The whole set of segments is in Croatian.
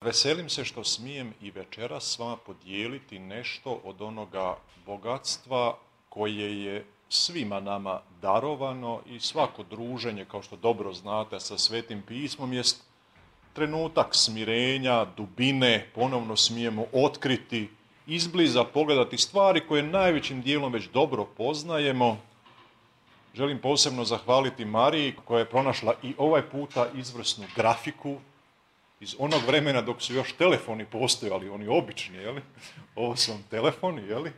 Veselim se što smijem i večeras s vama podijeliti nešto od onoga bogatstva koje je svima nama darovano i svako druženje, kao što dobro znate, sa Svetim pismom jest trenutak smirenja, dubine, ponovno smijemo otkriti, izbliza pogledati stvari koje najvećim dijelom već dobro poznajemo. Želim posebno zahvaliti Mariji koja je pronašla i ovaj puta izvrsnu grafiku iz onog vremena dok su još telefoni postojali, oni obični, jeli? Ovo su vam telefoni, jeli?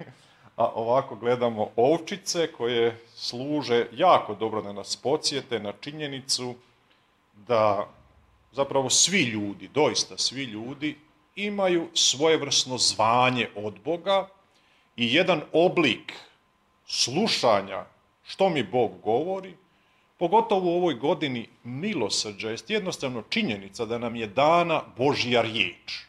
A ovako gledamo ovčice koje služe jako dobro da nas podsjete na činjenicu da zapravo svi ljudi, doista svi ljudi, imaju svojevrsno zvanje od Boga i jedan oblik slušanja što mi Bog govori, pogotovo u ovoj godini milosrđa, jest jednostavno činjenica da nam je dana Božja riječ.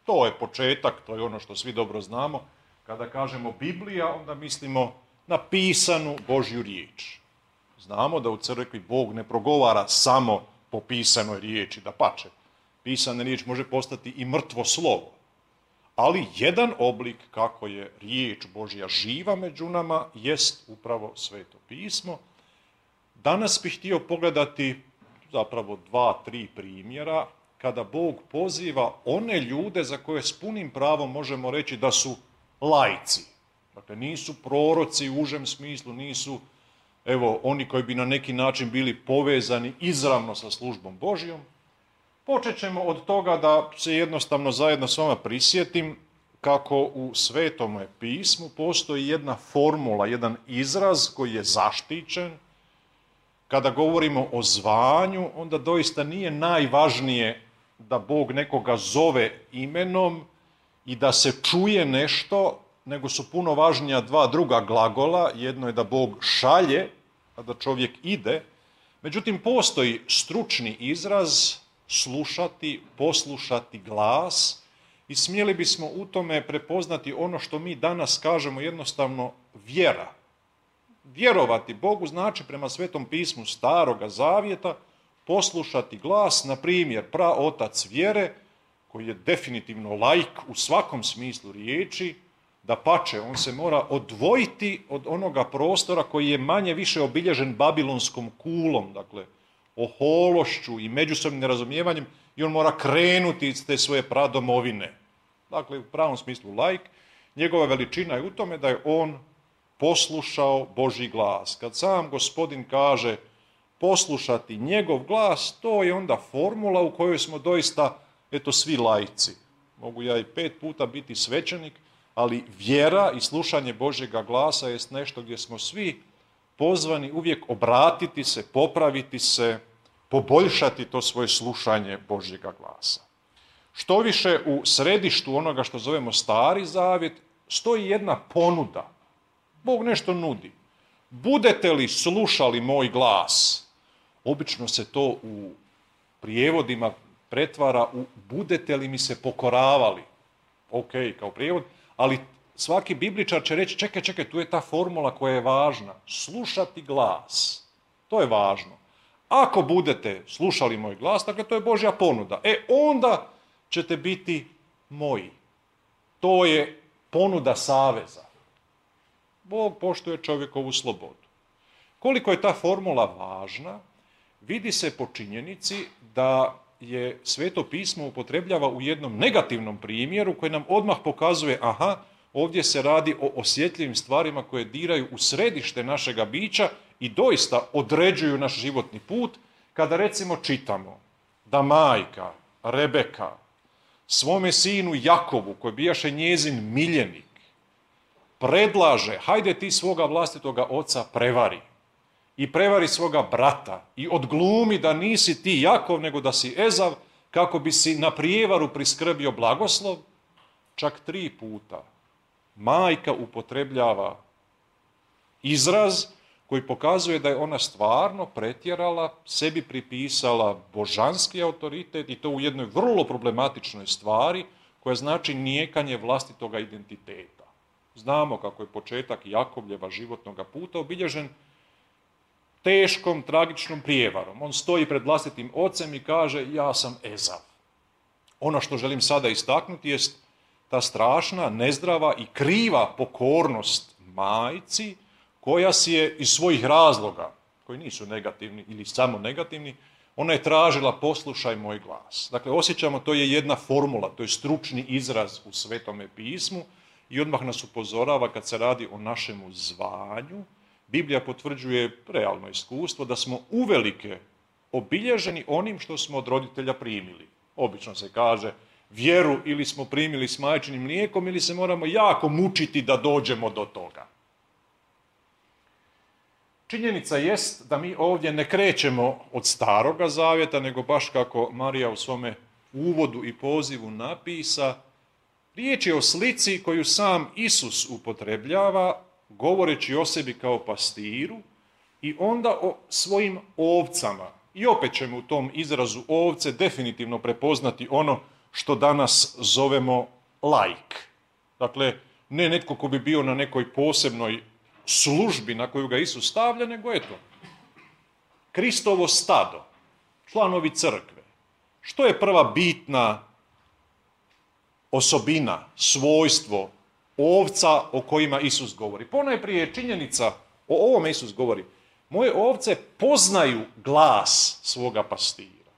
To je početak, to je ono što svi dobro znamo. Kada kažemo Biblija, onda mislimo na pisanu Božju riječ. Znamo da u crkvi Bog ne progovara samo po pisanoj riječi, dapače. Pisana riječ može postati i mrtvo slovo. Ali jedan oblik kako je riječ Božja živa među nama jest upravo Sveto pismo. Danas bih htio pogledati zapravo 2-3 primjera kada Bog poziva one ljude za koje s punim pravom možemo reći da su laici. Dakle, nisu proroci u užem smislu, nisu oni koji bi na neki način bili povezani izravno sa službom Božjom. Počet ćemo od toga da se jednostavno zajedno s vama prisjetim kako u Svetome pismu postoji jedna formula, jedan izraz koji je zaštićen. Kada govorimo o zvanju, onda doista nije najvažnije da Bog nekoga zove imenom i da se čuje nešto, nego su puno važnija dva druga glagola. Jedno je da Bog šalje, a da čovjek ide. Međutim, postoji stručni izraz slušati, poslušati glas i smjeli bismo u tome prepoznati ono što mi danas kažemo jednostavno vjera. Vjerovati Bogu znači prema Svetom pismu Staroga Zavjeta poslušati glas, na primjer praotac vjere, koji je definitivno laik u svakom smislu riječi, dapače, on se mora odvojiti od onoga prostora koji je manje više obilježen babilonskom kulom, dakle ohološću i međusobnim nerazumijevanjem, i on mora krenuti iz te svoje pradomovine. Dakle, u pravom smislu laik, njegova veličina je u tome da je on poslušao Božji glas. Kad sam Gospodin kaže poslušati njegov glas, to je onda formula u kojoj smo doista, svi laici. Mogu ja i 5 puta biti svećenik, ali vjera i slušanje Božjega glasa jest nešto gdje smo svi pozvani uvijek obratiti se, popraviti se, poboljšati to svoje slušanje Božjega glasa. Što više, u središtu onoga što zovemo Stari Zavjet stoji jedna ponuda. Bog nešto nudi. Budete li slušali moj glas? Obično se to u prijevodima pretvara u budete li mi se pokoravali? Ok, kao prijevod, ali svaki bibličar će reći čekaj, tu je ta formula koja je važna. Slušati glas. To je važno. Ako budete slušali moj glas, dakle to je Božja ponuda. Onda ćete biti moji. To je ponuda saveza. Bog poštuje čovjekovu slobodu. Koliko je ta formula važna, vidi se po činjenici da je Sveto pismo upotrebljava u jednom negativnom primjeru koji nam odmah pokazuje, ovdje se radi o osjetljivim stvarima koje diraju u središte našega bića i doista određuju naš životni put, kada recimo čitamo da majka Rebeka svome sinu Jakovu, koji bijaše njezin miljenik, predlaže, hajde ti svoga vlastitoga oca prevari i prevari svoga brata i odglumi da nisi ti Jakov nego da si Ezav, kako bi si na prijevaru priskrbio blagoslov. Čak 3 puta majka upotrebljava izraz koji pokazuje da je ona stvarno pretjerala, sebi pripisala božanski autoritet i to u jednoj vrlo problematičnoj stvari koja znači nijekanje vlastitoga identiteta. Znamo kako je početak Jakovljeva životnog puta obilježen teškom, tragičnom prijevarom. On stoji pred vlastitim ocem i kaže ja sam Ezav. Ono što želim sada istaknuti jest ta strašna, nezdrava i kriva pokornost majci koja si je iz svojih razloga, koji nisu negativni ili samo negativni, ona je tražila poslušaj moj glas. Dakle, osjećamo, to je jedna formula, to je stručni izraz u Svetome pismu i odmah nas upozorava kad se radi o našemu zvanju. Biblija potvrđuje realno iskustvo da smo uvelike obilježeni onim što smo od roditelja primili. Obično se kaže vjeru ili smo primili s majčinim mlijekom ili se moramo jako mučiti da dođemo do toga. Činjenica jest da mi ovdje ne krećemo od Staroga zavjeta, nego baš kako Marija u svome uvodu i pozivu napisa, riječ je o slici koju sam Isus upotrebljava, govoreći o sebi kao pastiru i onda o svojim ovcama. I opet ćemo u tom izrazu ovce definitivno prepoznati ono što danas zovemo laik. Dakle, ne netko ko bi bio na nekoj posebnoj službi na koju ga Isus stavlja, nego eto, Kristovo stado, članovi crkve. Što je prva bitna osobina, svojstvo ovca o kojima Isus govori? Ponajprije činjenica, o ovome Isus govori, moje ovce poznaju glas svoga pastira.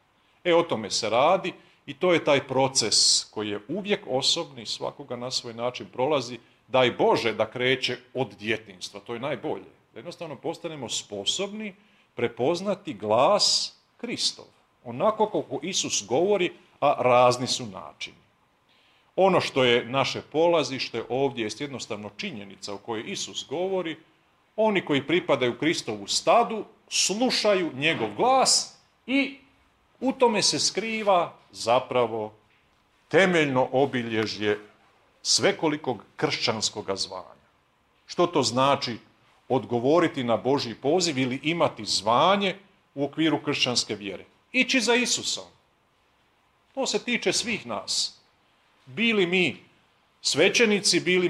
O tome se radi i to je taj proces koji je uvijek osobni, svakoga na svoj način prolazi. Daj Bože da kreće od djetinjstva, to je najbolje. Da jednostavno postanemo sposobni prepoznati glas Kristov. Onako kako Isus govori, a razni su načini. Ono što je naše polazište ovdje je jednostavno činjenica o kojoj Isus govori. Oni koji pripadaju Kristovu stadu slušaju njegov glas i u tome se skriva zapravo temeljno obilježje svekolikog kršćanskog zvanja. Što to znači odgovoriti na Božji poziv ili imati zvanje u okviru kršćanske vjere? Ići za Isusom. To se tiče svih nas. Bili mi svećenici, bili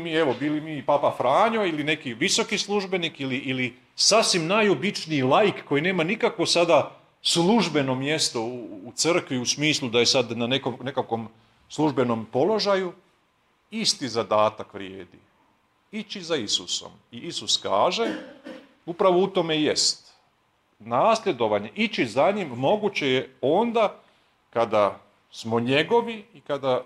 mi Papa Franjo ili neki visoki službenik ili sasvim najobičniji laik koji nema nikakvo sada službeno mjesto u crkvi u smislu da je sad na nekakvom službenom položaju, isti zadatak vrijedi. Ići za Isusom. I Isus kaže, upravo u tome jest. Nasljedovanje, ići za njim moguće je onda kada smo njegovi i kada,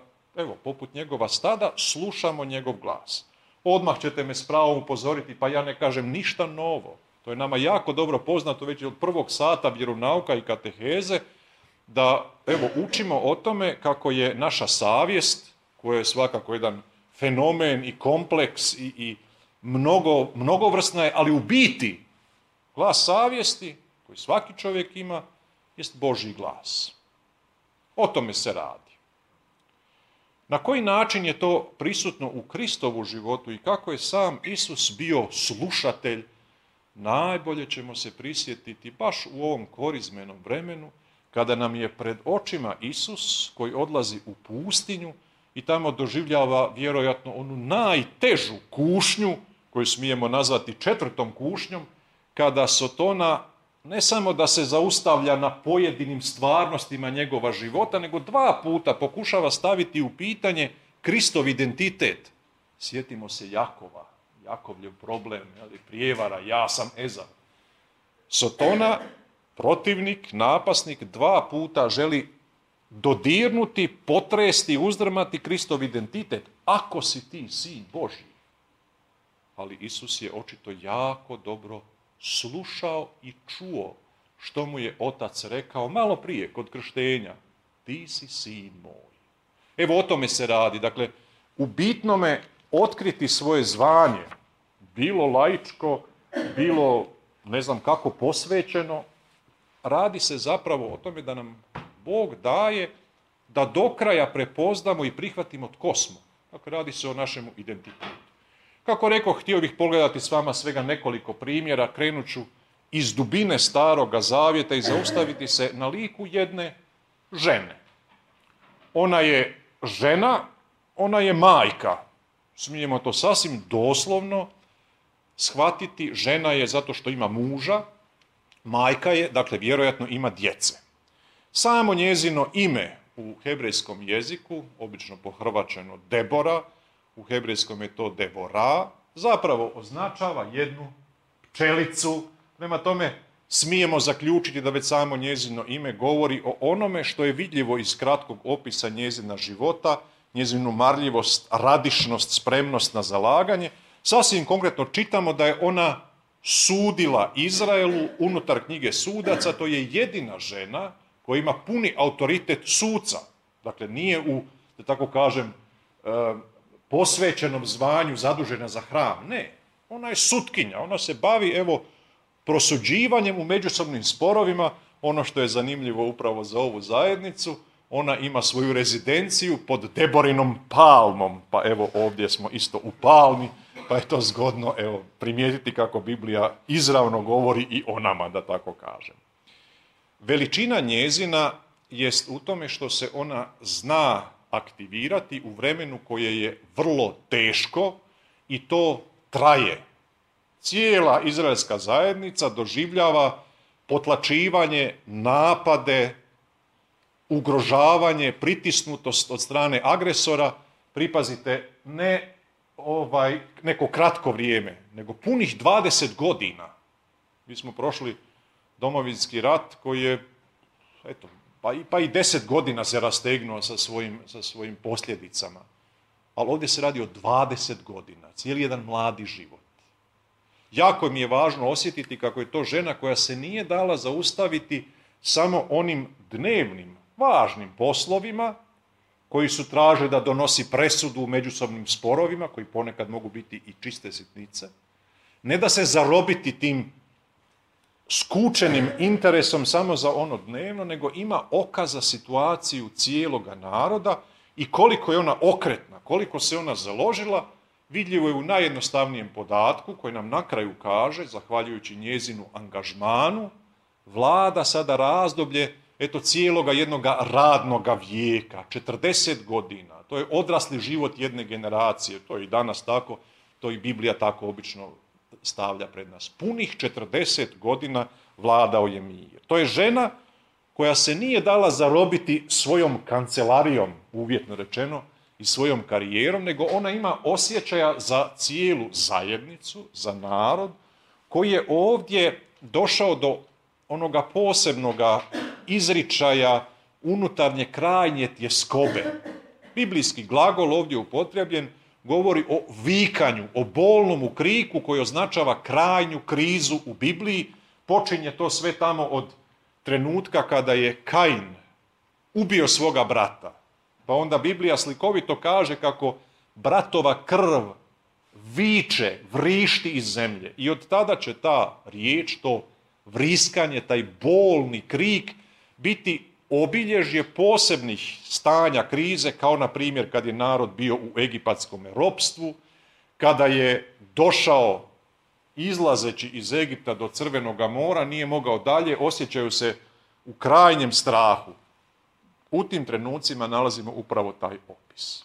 poput njegova stada, slušamo njegov glas. Odmah ćete me s pravom upozoriti, pa ja ne kažem ništa novo. To je nama jako dobro poznato već od prvog sata vjeronauka i kateheze, da učimo o tome kako je naša savjest, koja je svakako jedan fenomen i kompleks i mnogovrsna je, ali u biti glas savjesti, koji svaki čovjek ima, jest Božji glas. O tome se radi. Na koji način je to prisutno u Kristovu životu i kako je sam Isus bio slušatelj, najbolje ćemo se prisjetiti baš u ovom korizmenom vremenu, kada nam je pred očima Isus koji odlazi u pustinju i tamo doživljava vjerojatno onu najtežu kušnju, koju smijemo nazvati 4. kušnjom, kada Sotona ne samo da se zaustavlja na pojedinim stvarnostima njegova života, nego 2 puta pokušava staviti u pitanje Kristov identitet. Sjetimo se Jakova, Jakovljev problem, prijevara, ja sam Ezav. Sotona, protivnik, napasnik, 2 puta želi dodirnuti, potresti, uzdrmati Kristov identitet. Ako si ti sin Božji. Ali Isus je očito jako dobro slušao i čuo što mu je otac rekao malo prije kod krštenja. Ti si sin moj. O tome se radi. Dakle, u bitnome otkriti svoje zvanje, bilo laičko, bilo ne znam kako posvećeno, radi se zapravo o tome da nam Bog daje da do kraja prepoznamo i prihvatimo tko smo. Dakle, radi se o našemu identitetu. Kako rekoh, htio bih pogledati s vama svega nekoliko primjera, krenut ću iz dubine Staroga zavjeta i zaustaviti se na liku jedne žene. Ona je žena, ona je majka. Smijemo to sasvim doslovno shvatiti, žena je zato što ima muža, majka je, dakle vjerojatno ima djece. Samo njezino ime u hebrejskom jeziku, obično pohrvačeno Debora, u hebrejskom je to Devora, zapravo označava jednu pčelicu. Prema tome, smijemo zaključiti da već samo njezino ime govori o onome što je vidljivo iz kratkog opisa njezina života, njezinu marljivost, radišnost, spremnost na zalaganje. Sasvim konkretno čitamo da je ona sudila Izraelu unutar knjige sudaca. To je jedina žena koja ima puni autoritet suca. Dakle, nije u, da tako kažem, posvećenom zvanju zadužena za hram. Ne, ona je sutkinja, ona se bavi, evo, prosuđivanjem u međusobnim sporovima. Ono što je zanimljivo upravo za ovu zajednicu, ona ima svoju rezidenciju pod Deborinom palmom, pa evo ovdje smo isto u palmi, pa je to zgodno, evo, primijetiti kako Biblija izravno govori i o nama, da tako kažem. Veličina njezina jest u tome što se ona zna aktivirati u vremenu koje je vrlo teško i to traje. Cijela izraelska zajednica doživljava potlačivanje, napade, ugrožavanje, pritisnutost od strane agresora, pripazite, ne neko kratko vrijeme, nego punih 20 godina. Mi smo prošli Domovinski rat koji je, eto, pa i 10 godina se rastegnuo sa svojim posljedicama. Ali ovdje se radi o 20 godina, cijeli jedan mladi život. Jako mi je važno osjetiti kako je to žena koja se nije dala zaustaviti samo onim dnevnim, važnim poslovima koji su traže da donosi presudu u međusobnim sporovima, koji ponekad mogu biti i čiste sitnice. Ne da se zarobiti tim skučenim interesom samo za ono dnevno, nego ima oka za situaciju cijeloga naroda i koliko je ona okretna, koliko se ona založila, vidljivo je u najjednostavnijem podatku koji nam na kraju kaže, zahvaljujući njezinu angažmanu, vlada sada razdoblje cijeloga jednoga radnoga vijeka, 40 godina. To je odrasli život jedne generacije, to je i danas tako, to i Biblija tako obično stavlja pred nas. Punih 40 godina vladao je mir. To je žena koja se nije dala zarobiti svojom kancelarijom, uvjetno rečeno, i svojom karijerom, nego ona ima osjećaja za cijelu zajednicu, za narod, koji je ovdje došao do onoga posebnoga izričaja unutarnje krajnje tjeskobe. Biblijski glagol ovdje upotrebljen govori o vikanju, o bolnom kriku koji označava krajnju krizu u Bibliji. Počinje to sve tamo od trenutka kada je Kain ubio svoga brata. Pa onda Biblija slikovito kaže kako bratova krv viče, vrišti iz zemlje. I od tada će ta riječ, to vriskanje, taj bolni krik biti obilježje posebnih stanja krize, kao na primjer kad je narod bio u egipatskom ropstvu, kada je došao izlazeći iz Egipta do Crvenoga mora, nije mogao dalje, osjećaju se u krajnjem strahu. U tim trenucima nalazimo upravo taj opis.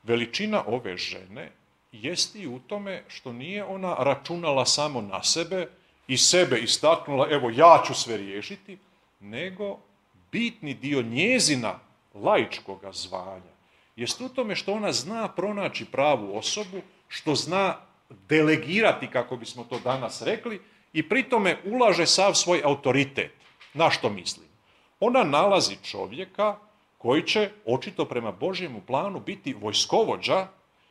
Veličina ove žene jest i u tome što nije ona računala samo na sebe i sebe istaknula, evo ja ću sve riješiti, nego bitni dio njezina laičkoga zvanja jest u tome što ona zna pronaći pravu osobu, što zna delegirati, kako bismo to danas rekli, i pri tome ulaže sav svoj autoritet. Na što mislim? Ona nalazi čovjeka koji će, očito prema Božjemu planu, biti vojskovođa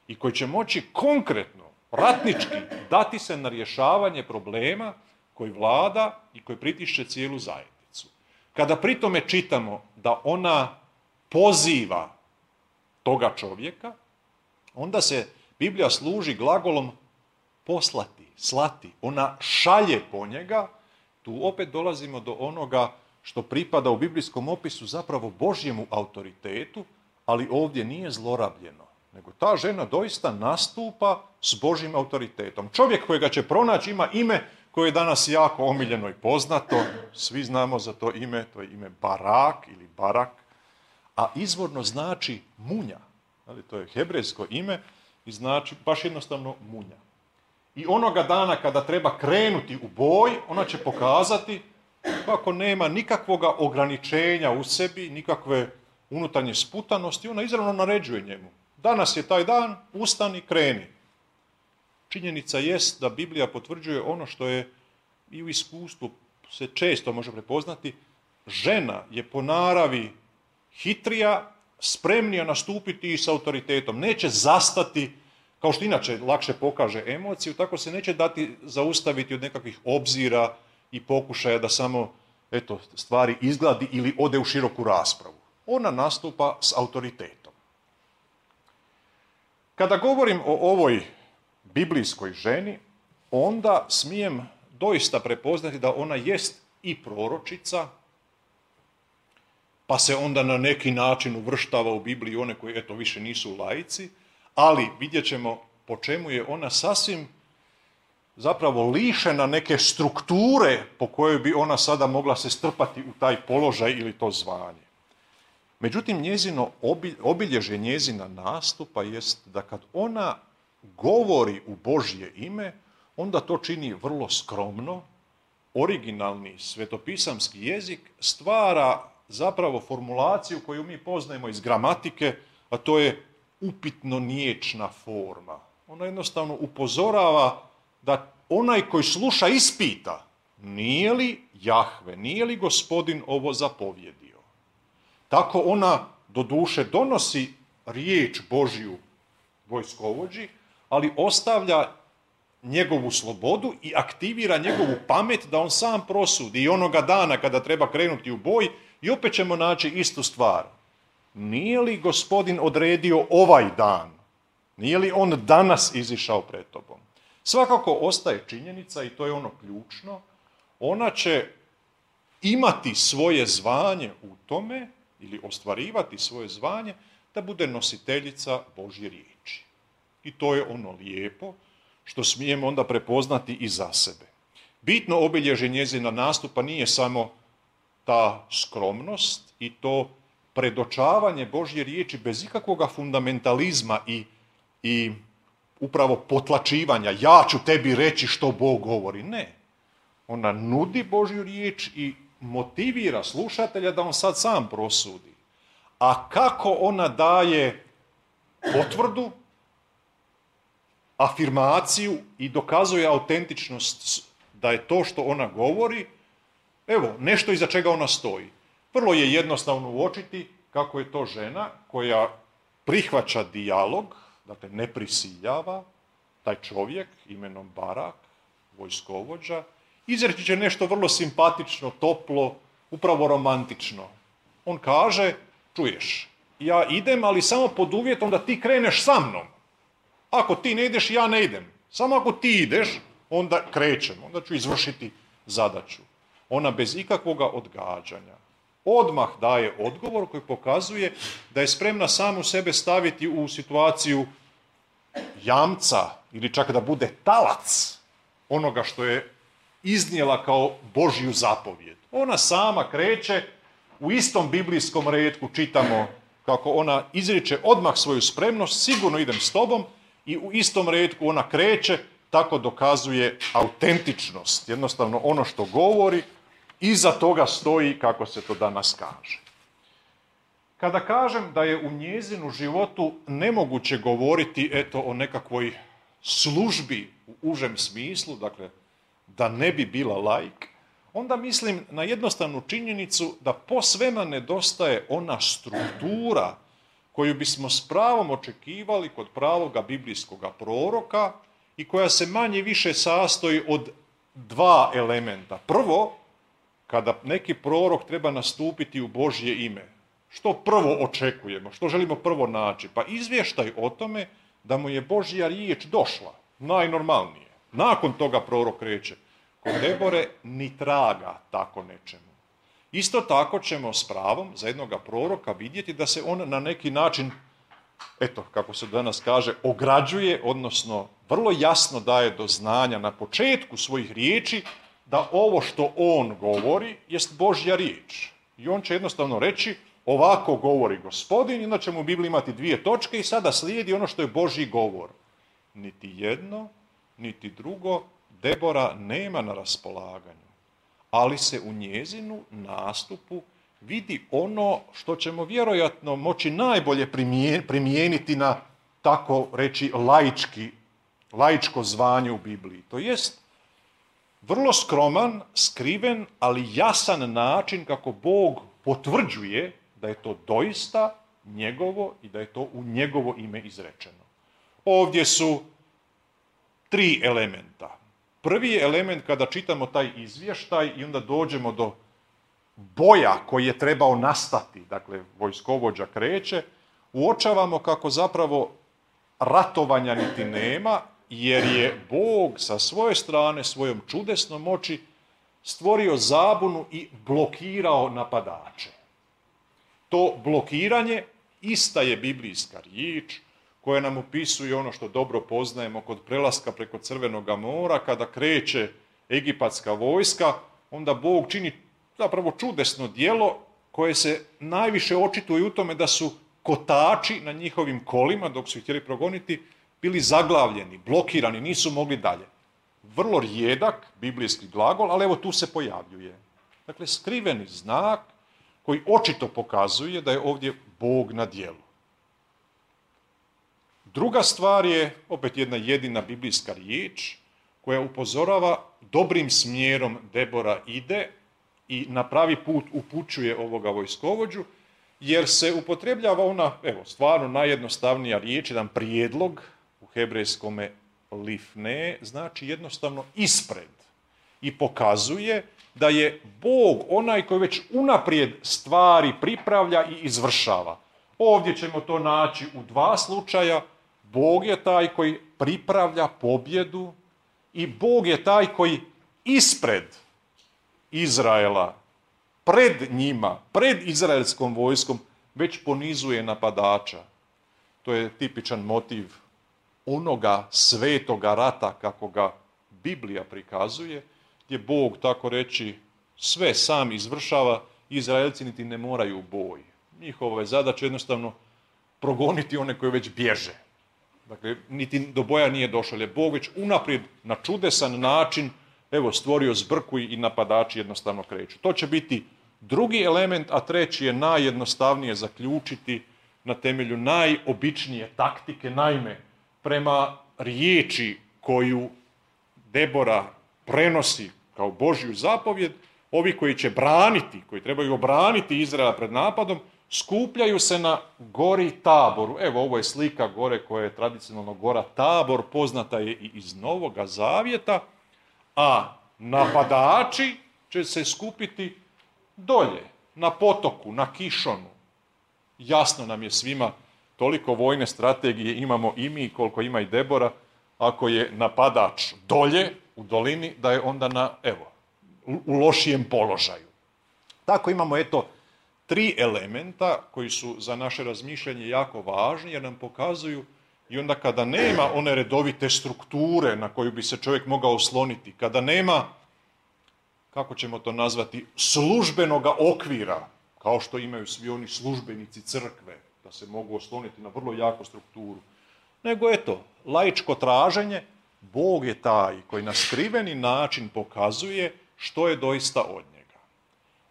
i koji će moći konkretno, ratnički, dati se na rješavanje problema koji vlada i koji pritišće cijelu zajednicu. Kada pri tome čitamo da ona poziva toga čovjeka, onda se Biblija služi glagolom poslati, slati. Ona šalje po njega. Tu opet dolazimo do onoga što pripada u biblijskom opisu zapravo Božjemu autoritetu, ali ovdje nije zlorabljeno, nego ta žena doista nastupa s Božjim autoritetom. Čovjek kojega će pronaći ima ime koje je danas jako omiljeno i poznato, svi znamo za to ime, to je ime Barak ili Barak, a izvorno znači munja. To je hebrejsko ime i znači baš jednostavno munja. I onoga dana kada treba krenuti u boj, ona će pokazati kako nema nikakvoga ograničenja u sebi, nikakve unutarnje sputanosti, ona izravno naređuje njemu. Danas je taj dan, ustani, kreni. Činjenica jest da Biblija potvrđuje ono što je i u iskustvu se često može prepoznati. Žena je po naravi hitrija, spremnija nastupiti i s autoritetom. Neće zastati, kao što inače lakše pokaže emociju, tako se neće dati zaustaviti od nekakvih obzira i pokušaja da samo stvari izgladi ili ode u široku raspravu. Ona nastupa s autoritetom. Kada govorim o ovoj biblijskoj ženi, onda smijem doista prepoznati da ona jest i proročica, pa se onda na neki način uvrštava u Bibliju one koji više nisu laici, ali vidjet ćemo po čemu je ona sasvim zapravo lišena neke strukture po kojoj bi ona sada mogla se strpati u taj položaj ili to zvanje. Međutim, njezino obilježje njezina nastupa jest da kad ona govori u Božje ime, onda to čini vrlo skromno, originalni svetopisamski jezik stvara zapravo formulaciju koju mi poznajemo iz gramatike, a to je upitno-niječna forma. Ona jednostavno upozorava da onaj koji sluša ispita, nije li Jahve, nije li Gospodin ovo zapovjedio. Tako ona doduše donosi riječ Božju vojskovođi, ali ostavlja njegovu slobodu i aktivira njegovu pamet da on sam prosudi i onoga dana kada treba krenuti u boj i opet ćemo naći istu stvar. Nije li Gospodin odredio ovaj dan? Nije li on danas izišao pred tobom? Svakako ostaje činjenica, i to je ono ključno, ona će imati svoje zvanje u tome, ili ostvarivati svoje zvanje, da bude nositeljica Božje riječi. I to je ono lijepo što smijemo onda prepoznati i za sebe. Bitno obilježje njezina nastupa nije samo ta skromnost i to predočavanje Božje riječi bez ikakvoga fundamentalizma i upravo potlačivanja. Ja ću tebi reći što Bog govori. Ne. Ona nudi Božju riječ i motivira slušatelja da on sad sam prosudi. A kako ona daje potvrdu, afirmaciju i dokazuje autentičnost da je to što ona govori, evo, nešto iza čega ona stoji. Vrlo je jednostavno uočiti kako je to žena koja prihvaća dijalog, dakle ne prisiljava, taj čovjek imenom Barak, vojskovođa, izreći će nešto vrlo simpatično, toplo, upravo romantično. On kaže, čuješ, ja idem, ali samo pod uvjetom da ti kreneš sa mnom. Ako ti ne ideš, ja ne idem. Samo ako ti ideš, onda krećem, onda ću izvršiti zadaću. Ona bez ikakvoga odgađanja odmah daje odgovor koji pokazuje da je spremna samu sebe staviti u situaciju jamca ili čak da bude talac onoga što je iznijela kao Božju zapovjed. Ona sama kreće, u istom biblijskom retku čitamo kako ona izriče odmah svoju spremnost, sigurno idem s tobom, i u istom retku ona kreće, tako dokazuje autentičnost. Jednostavno ono što govori, iza toga stoji, kako se to danas kaže. Kada kažem da je u njezinu životu nemoguće govoriti o nekakvoj službi u užem smislu, dakle da ne bi bila laik, onda mislim na jednostavnu činjenicu da posvema nedostaje ona struktura koju bismo s pravom očekivali kod pravoga biblijskoga proroka i koja se manje više sastoji od dva elementa. Prvo, kada neki prorok treba nastupiti u Božje ime, što prvo očekujemo, što želimo prvo naći? Pa izvještaj o tome da mu je Božja riječ došla, najnormalnije. Nakon toga prorok reče, kod Debore ni traga tako nečemu. Isto tako ćemo s pravom za jednoga proroka vidjeti da se on na neki način, kako se danas kaže, ograđuje, odnosno vrlo jasno daje do znanja na početku svojih riječi da ovo što on govori jest Božja riječ. I on će jednostavno reći, ovako govori Gospodin, onda ćemo u Bibliji imati dvije točke i sada slijedi ono što je Božji govor. Niti jedno, niti drugo Debora nema na raspolaganju, ali se u njezinu nastupu vidi ono što ćemo vjerojatno moći najbolje primijeniti na, tako reći, laičko zvanje u Bibliji. To jest vrlo skroman, skriven, ali jasan način kako Bog potvrđuje da je to doista njegovo i da je to u njegovo ime izrečeno. Ovdje su 3 elementa. Prvi je element kada čitamo taj izvještaj i onda dođemo do boja koji je trebao nastati, dakle vojskovođa kreće, uočavamo kako zapravo ratovanja niti nema, jer je Bog sa svoje strane, svojom čudesnom moći, stvorio zabunu i blokirao napadače. To blokiranje ista je biblijska riječ koja nam opisuje ono što dobro poznajemo kod prelaska preko Crvenoga mora, kada kreće egipatska vojska, onda Bog čini zapravo čudesno djelo koje se najviše očituje u tome da su kotači na njihovim kolima, dok su ih htjeli progoniti, bili zaglavljeni, blokirani, nisu mogli dalje. Vrlo rijedak biblijski glagol, ali evo tu se pojavljuje. Dakle, skriveni znak koji očito pokazuje da je ovdje Bog na djelu. Druga stvar je, opet jedna jedina biblijska riječ, koja upozorava dobrim smjerom Debora ide i na pravi put upućuje ovoga vojskovođu, jer se upotrebljava ona, evo, stvarno najjednostavnija riječ, jedan prijedlog, u hebrejskome lifne, znači jednostavno ispred. I pokazuje da je Bog onaj koji već unaprijed stvari pripravlja i izvršava. Ovdje ćemo to naći u 2 slučaja. Bog je taj koji pripravlja pobjedu i Bog je taj koji ispred Izraela, pred njima, pred izraelskom vojskom, već ponizuje napadača. To je tipičan motiv onoga svetoga rata kako ga Biblija prikazuje, gdje Bog, tako reći, sve sam izvršava, Izraelci niti ne moraju u boj. Njihova je zadaća jednostavno progoniti one koji već bježe. Dakle, niti do boja nije došao, jer je Bog već unaprijed na čudesan način, evo, stvorio zbrku i napadači jednostavno kreću. To će biti drugi element, a treći je najjednostavnije zaključiti na temelju najobičnije taktike. Naime, prema riječi koju Debora prenosi kao Božju zapovjed, ovi koji će braniti, koji trebaju obraniti Izraela pred napadom, skupljaju se na gori Taboru. Evo, ovo je slika gore koja je tradicionalno gora Tabor, poznata je i iz Novoga Zavjeta, a napadači će se skupiti dolje, na potoku, na Kišonu. Jasno nam je svima, toliko vojne strategije imamo i mi koliko ima i Debora, ako je napadač dolje, u dolini, da je onda u lošijem položaju. Tako imamo, 3 elementa koji su za naše razmišljanje jako važni, jer nam pokazuju i onda kada nema one redovite strukture na koju bi se čovjek mogao osloniti, kada nema, kako ćemo to nazvati, službenoga okvira, kao što imaju svi oni službenici crkve, da se mogu osloniti na vrlo jaku strukturu, nego laičko traženje, Bog je taj koji na skriveni način pokazuje što je doista od njega.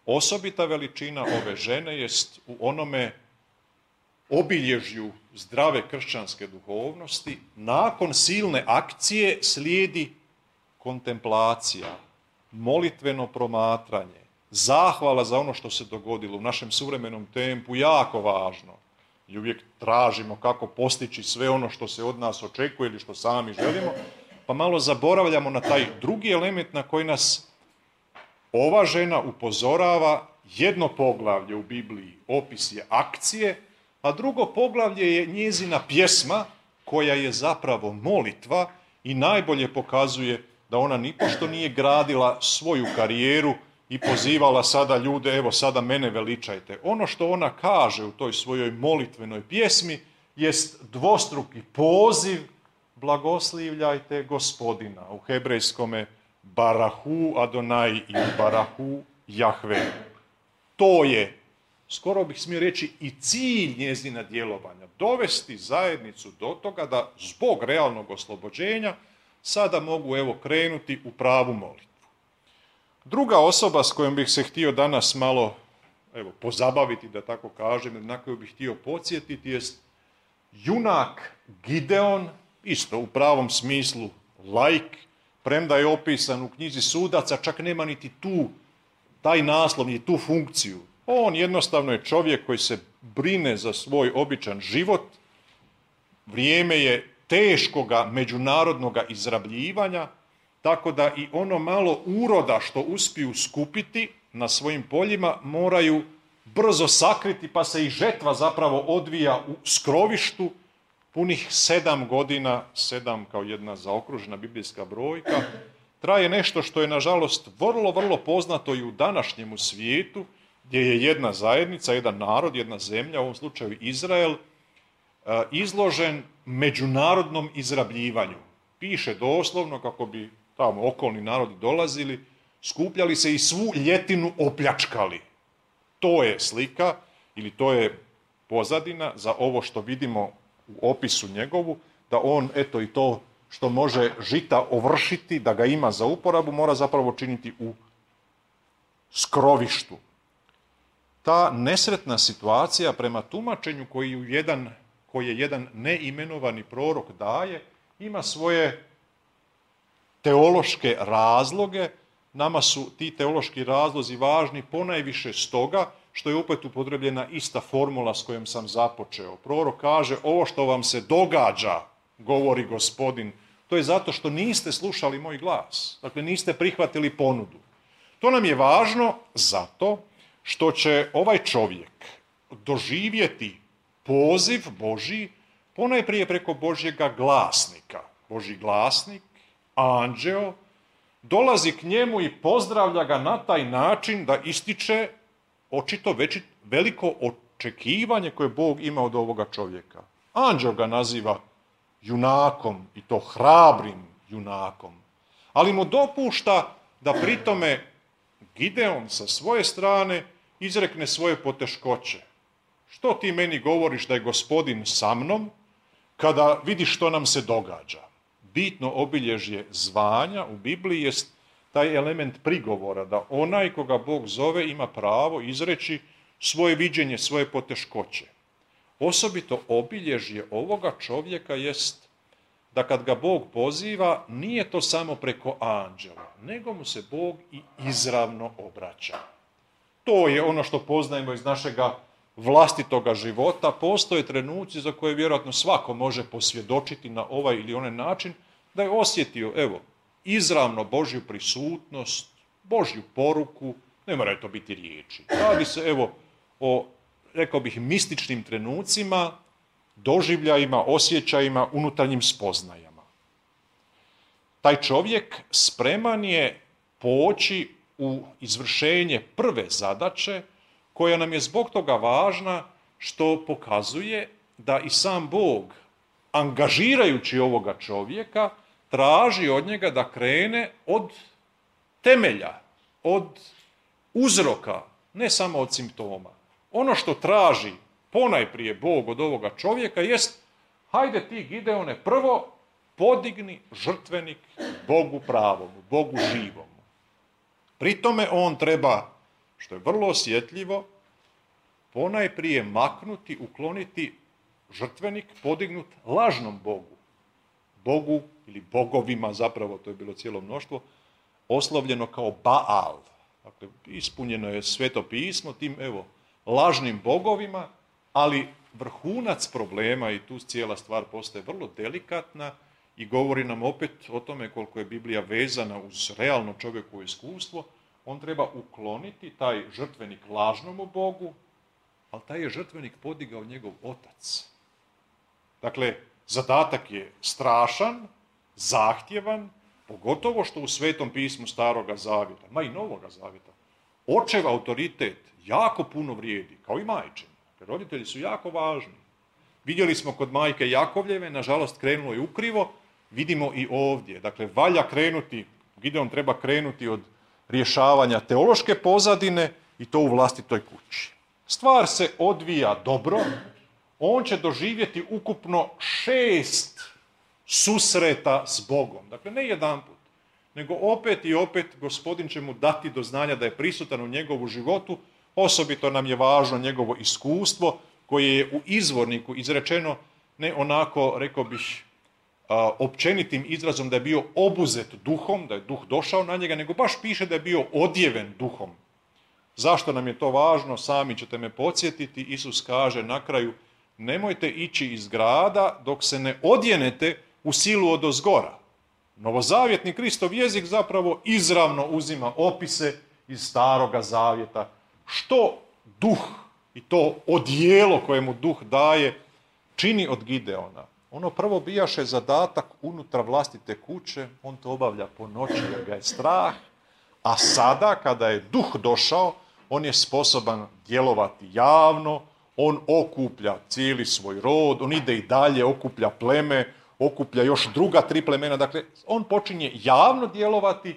Osobita veličina ove žene jest u onome obilježju zdrave kršćanske duhovnosti. Nakon silne akcije slijedi kontemplacija, molitveno promatranje, zahvala za ono što se dogodilo u našem suvremenom tempu, jako važno. I uvijek tražimo kako postići sve ono što se od nas očekuje ili što sami želimo, pa malo zaboravljamo na taj drugi element na koji nas ova žena upozorava. Jedno poglavlje u Bibliji opis je akcije, a drugo poglavlje je njezina pjesma koja je zapravo molitva i najbolje pokazuje da ona nipošto nije gradila svoju karijeru i pozivala sada ljude, evo sada mene veličajte. Ono što ona kaže u toj svojoj molitvenoj pjesmi jest dvostruki poziv, blagoslivljajte Gospodina, u hebrejskome Barahu Adonai i Barahu Jahve. To je, skoro bih smio reći, i cilj njezina djelovanja, dovesti zajednicu do toga da zbog realnog oslobođenja sada mogu krenuti u pravu molitvu. Druga osoba s kojom bih se htio danas malo pozabaviti, da tako kažem, na koju bih htio podsjetiti, jest junak Gideon, isto u pravom smislu laik, premda je opisan u knjizi Sudaca, čak nema niti taj naslov, niti tu funkciju. On jednostavno je čovjek koji se brine za svoj običan život. Vrijeme je teškoga međunarodnoga izrabljivanja, tako da i ono malo uroda što uspiju skupiti na svojim poljima moraju brzo sakriti, pa se i žetva zapravo odvija u skrovištu punih 7 godina, 7 kao jedna zaokružena biblijska brojka. Traje nešto što je, nažalost, vrlo, vrlo poznato i u današnjemu svijetu, gdje je jedna zajednica, jedan narod, jedna zemlja, u ovom slučaju Izrael, izložen međunarodnom izrabljivanju. Piše doslovno, kako bi tamo okolni narodi dolazili, skupljali se i svu ljetinu opljačkali. To je slika ili to je pozadina za ovo što vidimo u opisu njegovu, da on, eto, i to što može žita ovršiti, da ga ima za uporabu, mora zapravo činiti u skrovištu. Ta nesretna situacija prema tumačenju koje jedan neimenovani prorok daje, ima svoje teološke razloge. Nama su ti teološki razlozi važni ponajviše stoga što je opet upotrebljena ista formula s kojom sam započeo. Prorok kaže, ovo što vam se događa, govori Gospodin, to je zato što niste slušali moj glas. Dakle, niste prihvatili ponudu. To nam je važno zato što će ovaj čovjek doživjeti poziv Božji ponajprije preko Božjega glasnika. Božji glasnik, anđeo, dolazi k njemu i pozdravlja ga na taj način da ističe očito veliko očekivanje koje Bog ima od ovoga čovjeka. Anđeo ga naziva junakom, i to hrabrim junakom, ali mu dopušta da pritome Gideon sa svoje strane izrekne svoje poteškoće. Što ti meni govoriš da je Gospodin sa mnom kada vidiš što nam se događa? Bitno obilježje zvanja u Bibliji jest taj element prigovora, da onaj koga Bog zove ima pravo izreći svoje viđenje, svoje poteškoće. Osobito obilježje ovoga čovjeka jest da kad ga Bog poziva, nije to samo preko anđela, nego mu se Bog i izravno obraća. To je ono što poznajemo iz našega vlastitoga života. Postoje trenuci za koje vjerojatno svako može posvjedočiti na ovaj ili onaj način, da je osjetio, izravno Božju prisutnost, Božju poruku, ne moraju to biti riječi. Radi se, o, rekao bih, mističnim trenucima, doživljajima, osjećajima, unutarnjim spoznajama. Taj čovjek spreman je poći u izvršenje prve zadaće, koja nam je zbog toga važna što pokazuje da i sam Bog, angažirajući ovoga čovjeka, traži od njega da krene od temelja, od uzroka, ne samo od simptoma. Ono što traži ponajprije Bog od ovoga čovjeka jest, hajde ti, Gideone, prvo podigni žrtvenik Bogu pravomu, Bogu živomu. Pri tome on treba, što je vrlo osjetljivo, ponajprije maknuti, ukloniti žrtvenik podignut lažnom Bogu. Bogu ili bogovima, zapravo to je bilo cijelo mnoštvo, oslovljeno kao Baal. Dakle, ispunjeno je Sveto pismo tim, lažnim bogovima, ali vrhunac problema, i tu cijela stvar postaje vrlo delikatna i govori nam opet o tome koliko je Biblija vezana uz realno čovjekovo iskustvo. On treba ukloniti taj žrtvenik lažnomu Bogu, ali taj je žrtvenik podigao njegov otac. Dakle, zadatak je strašan, zahtjevan, pogotovo što u Svetom pismu Staroga zavjeta, ma i Novoga zavjeta, očev autoritet jako puno vrijedi, kao i majčin. Roditelji su jako važni. Vidjeli smo kod majke Jakovljeve, nažalost krenulo je ukrivo, vidimo i ovdje. Dakle, valja krenuti, Gideon treba krenuti od rješavanja teološke pozadine i to u vlastitoj kući. Stvar se odvija dobro, on će doživjeti ukupno 6 susreta s Bogom. Dakle, ne jedanput, nego opet i opet Gospodin će mu dati do znanja da je prisutan u njegovu životu. Osobito nam je važno njegovo iskustvo koje je u izvorniku izrečeno ne onako, rekao bih, općenitim izrazom da je bio obuzet duhom, da je duh došao na njega, nego baš piše da je bio odjeven duhom. Zašto nam je to važno? Sami ćete me podsjetiti. Isus kaže na kraju, nemojte ići iz grada dok se ne odjenete u silu odozgora. Novozavjetni Kristov jezik zapravo izravno uzima opise iz Staroga zavjeta. Što duh i to odijelo koje mu duh daje čini od Gideona? Ono prvo bijaše zadatak unutar vlastite kuće, on to obavlja po noći jer ga je strah, a sada kada je duh došao, on je sposoban djelovati javno, on okuplja cijeli svoj rod, on ide i dalje, okuplja pleme, okuplja još druga 3 plemena, dakle on počinje javno djelovati.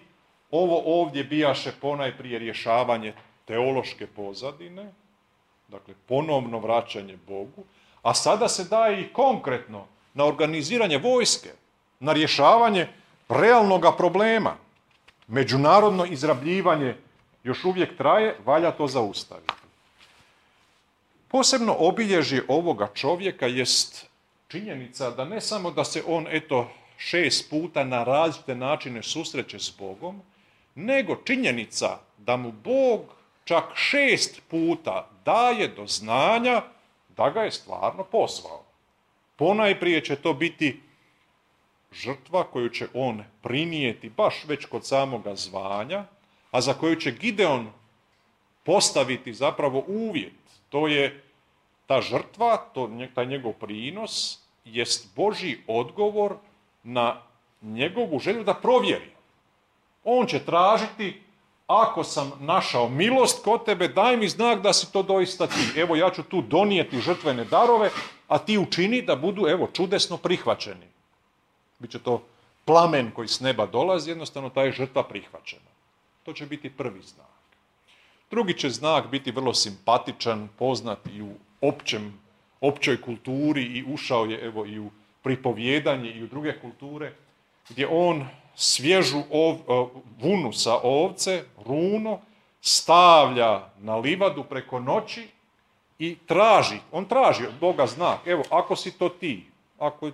Ovo ovdje bijaše ponajprije rješavanje teološke pozadine, dakle ponovno vraćanje Bogu, a sada se daje i konkretno na organiziranje vojske, na rješavanje realnoga problema. Međunarodno izrabljivanje još uvijek traje, valja to zaustaviti. Posebno obilježje ovoga čovjeka jest činjenica da ne samo da se on 6 puta na različite načine susreće s Bogom, nego činjenica da mu Bog čak 6 puta daje do znanja da ga je stvarno pozvao. Ponajprije će to biti žrtva koju će on prinijeti baš već kod samoga zvanja, a za koju će Gideon postaviti zapravo uvjet. To je ta žrtva, taj njegov prinos, jest Božji odgovor na njegovu želju da provjeri. On će tražiti, ako sam našao milost kod tebe, daj mi znak da si to doista ti. Evo, ja ću tu donijeti žrtvene darove, a ti učini da budu, čudesno prihvaćeni. Biće to plamen koji s neba dolazi, jednostavno ta je žrtva prihvaćena. To će biti prvi znak. Drugi će znak biti vrlo simpatičan, poznat i u općoj kulturi i ušao je i u pripovjedanje i u druge kulture, gdje on svježu vunu sa ovce, runo, stavlja na livadu preko noći i on traži od Boga znak. Evo, ako si to ti, ako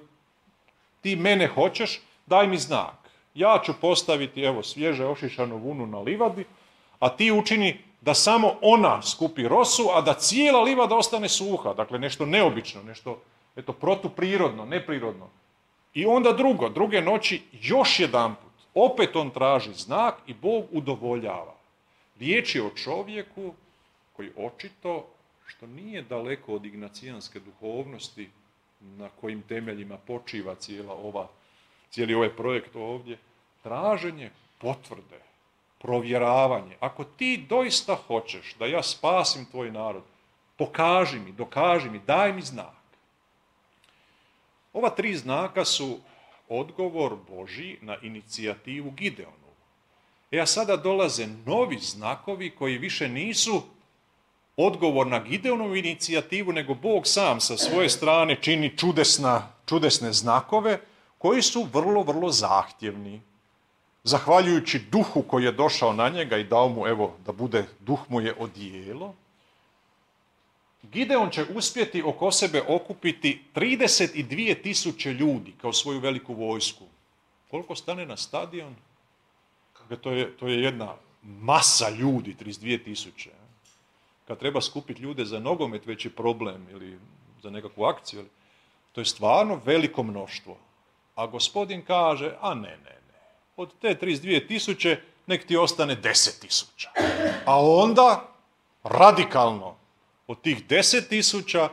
ti mene hoćeš, daj mi znak. Ja ću postaviti, svježe ošišanu vunu na livadi, a ti učini da samo ona skupi rosu, a da cijela livada ostane suha. Dakle, nešto neobično, nešto protuprirodno, neprirodno. I onda druge noći, još jedanput, opet on traži znak i Bog udovoljava. Riječ je o čovjeku koji očito, što nije daleko od ignacijanske duhovnosti, na kojim temeljima počiva cijeli ovaj projekt ovdje, traženje potvrde, provjeravanje. Ako ti doista hoćeš da ja spasim tvoj narod, pokaži mi, dokaži mi, daj mi znak. Ova 3 znaka su odgovor Božji na inicijativu Gideonu. A sada dolaze novi znakovi koji više nisu odgovor na Gideonovu inicijativu, nego Bog sam sa svoje strane čini čudesne znakove koji su vrlo, vrlo zahtjevni. Zahvaljujući duhu koji je došao na njega i dao mu, da bude, duh mu je odijelo, Gideon će uspjeti oko sebe okupiti 32.000 ljudi kao svoju veliku vojsku. Koliko stane na stadion? To je jedna masa ljudi, 32.000. Kad treba skupiti ljude za nogomet, već je problem, ili za nekakvu akciju. To je stvarno veliko mnoštvo. A gospodin kaže, ne. Od te 32.000 nek ti ostane 10.000. A onda, radikalno, od tih 10.000,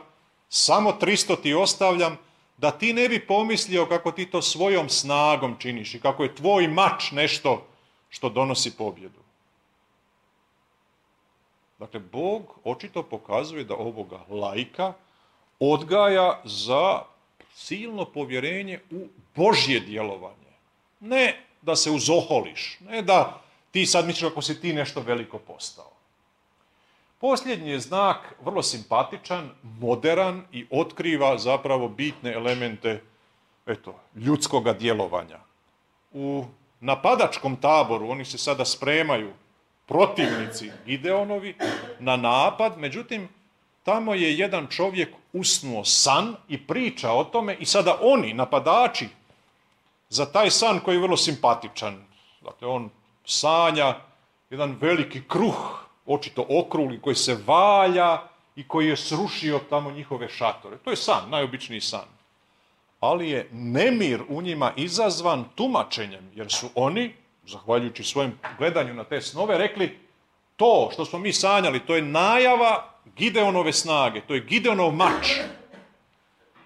samo 300 ti ostavljam, da ti ne bi pomislio kako ti to svojom snagom činiš i kako je tvoj mač nešto što donosi pobjedu. Dakle, Bog očito pokazuje da ovoga laika odgaja za silno povjerenje u Božje djelovanje. Ne da se uzoholiš, ne da ti sad misliš kako si ti nešto veliko postao. Posljednji je znak vrlo simpatičan, moderan i otkriva zapravo bitne elemente ljudskoga djelovanja. U napadačkom taboru oni se sada spremaju protivnici Gideonovi na napad, međutim, tamo je jedan čovjek usnuo san i priča o tome i sada oni, napadači, za taj san koji je vrlo simpatičan. Dakle, on sanja jedan veliki kruh, očito okrugli, koji se valja i koji je srušio tamo njihove šatore. To je san, najobičniji san. Ali je nemir u njima izazvan tumačenjem, jer su oni, zahvaljujući svojem gledanju na te snove, rekli to što smo mi sanjali, to je najava Gideonove snage, to je Gideonov mač.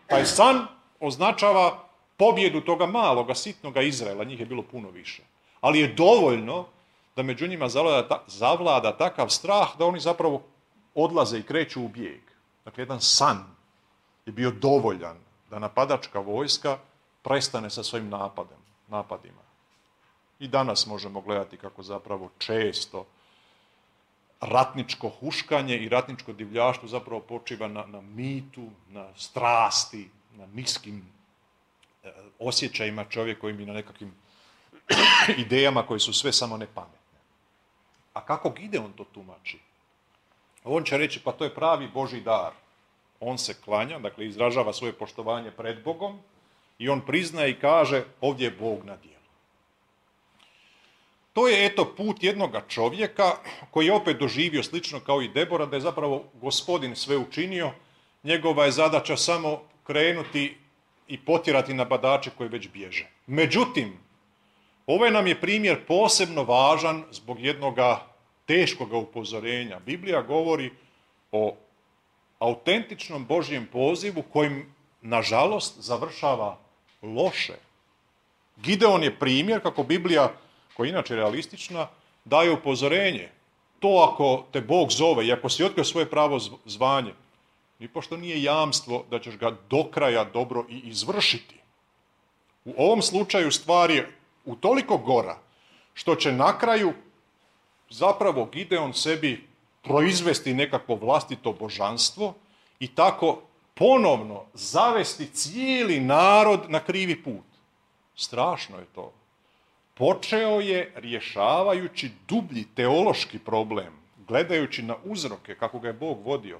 Taj san označava pobjedu toga maloga, sitnoga Izraela, njih je bilo puno više. Ali je dovoljno da među njima zavlada takav strah da oni zapravo odlaze i kreću u bijeg. Dakle, jedan san je bio dovoljan da napadačka vojska prestane sa svojim napadima. I danas možemo gledati kako zapravo često ratničko huškanje i ratničko divljaštvo zapravo počiva na mitu, na strasti, na niskim osjećajima čovjekovim i na nekakvim idejama koje su sve samo nepametne. A kako Gideon to tumači? On će reći, pa to je pravi Božji dar. On se klanja, dakle izražava svoje poštovanje pred Bogom i on priznaje i kaže, ovdje je Bog na djelu. To je eto put jednoga čovjeka koji je opet doživio slično kao i Debora, da je zapravo Gospodin sve učinio, njegova je zadaća samo krenuti i potjerati napadače koji već bježe. Međutim, ovaj nam je primjer posebno važan zbog jednoga teškoga upozorenja. Biblija govori o autentičnom Božjem pozivu kojim, nažalost, završava loše. Gideon je primjer kako Biblija, koja je inače realistična, daje upozorenje. To ako te Bog zove i ako si otkrio svoje pravo zvanje, nipošto nije jamstvo da ćeš ga do kraja dobro i izvršiti. U ovom slučaju stvar je utoliko gora što će na kraju zapravo Gideon sebi proizvesti nekakvo vlastito božanstvo i tako ponovno zavesti cijeli narod na krivi put. Strašno je to. Počeo je rješavajući dublji teološki problem, gledajući na uzroke kako ga je Bog vodio,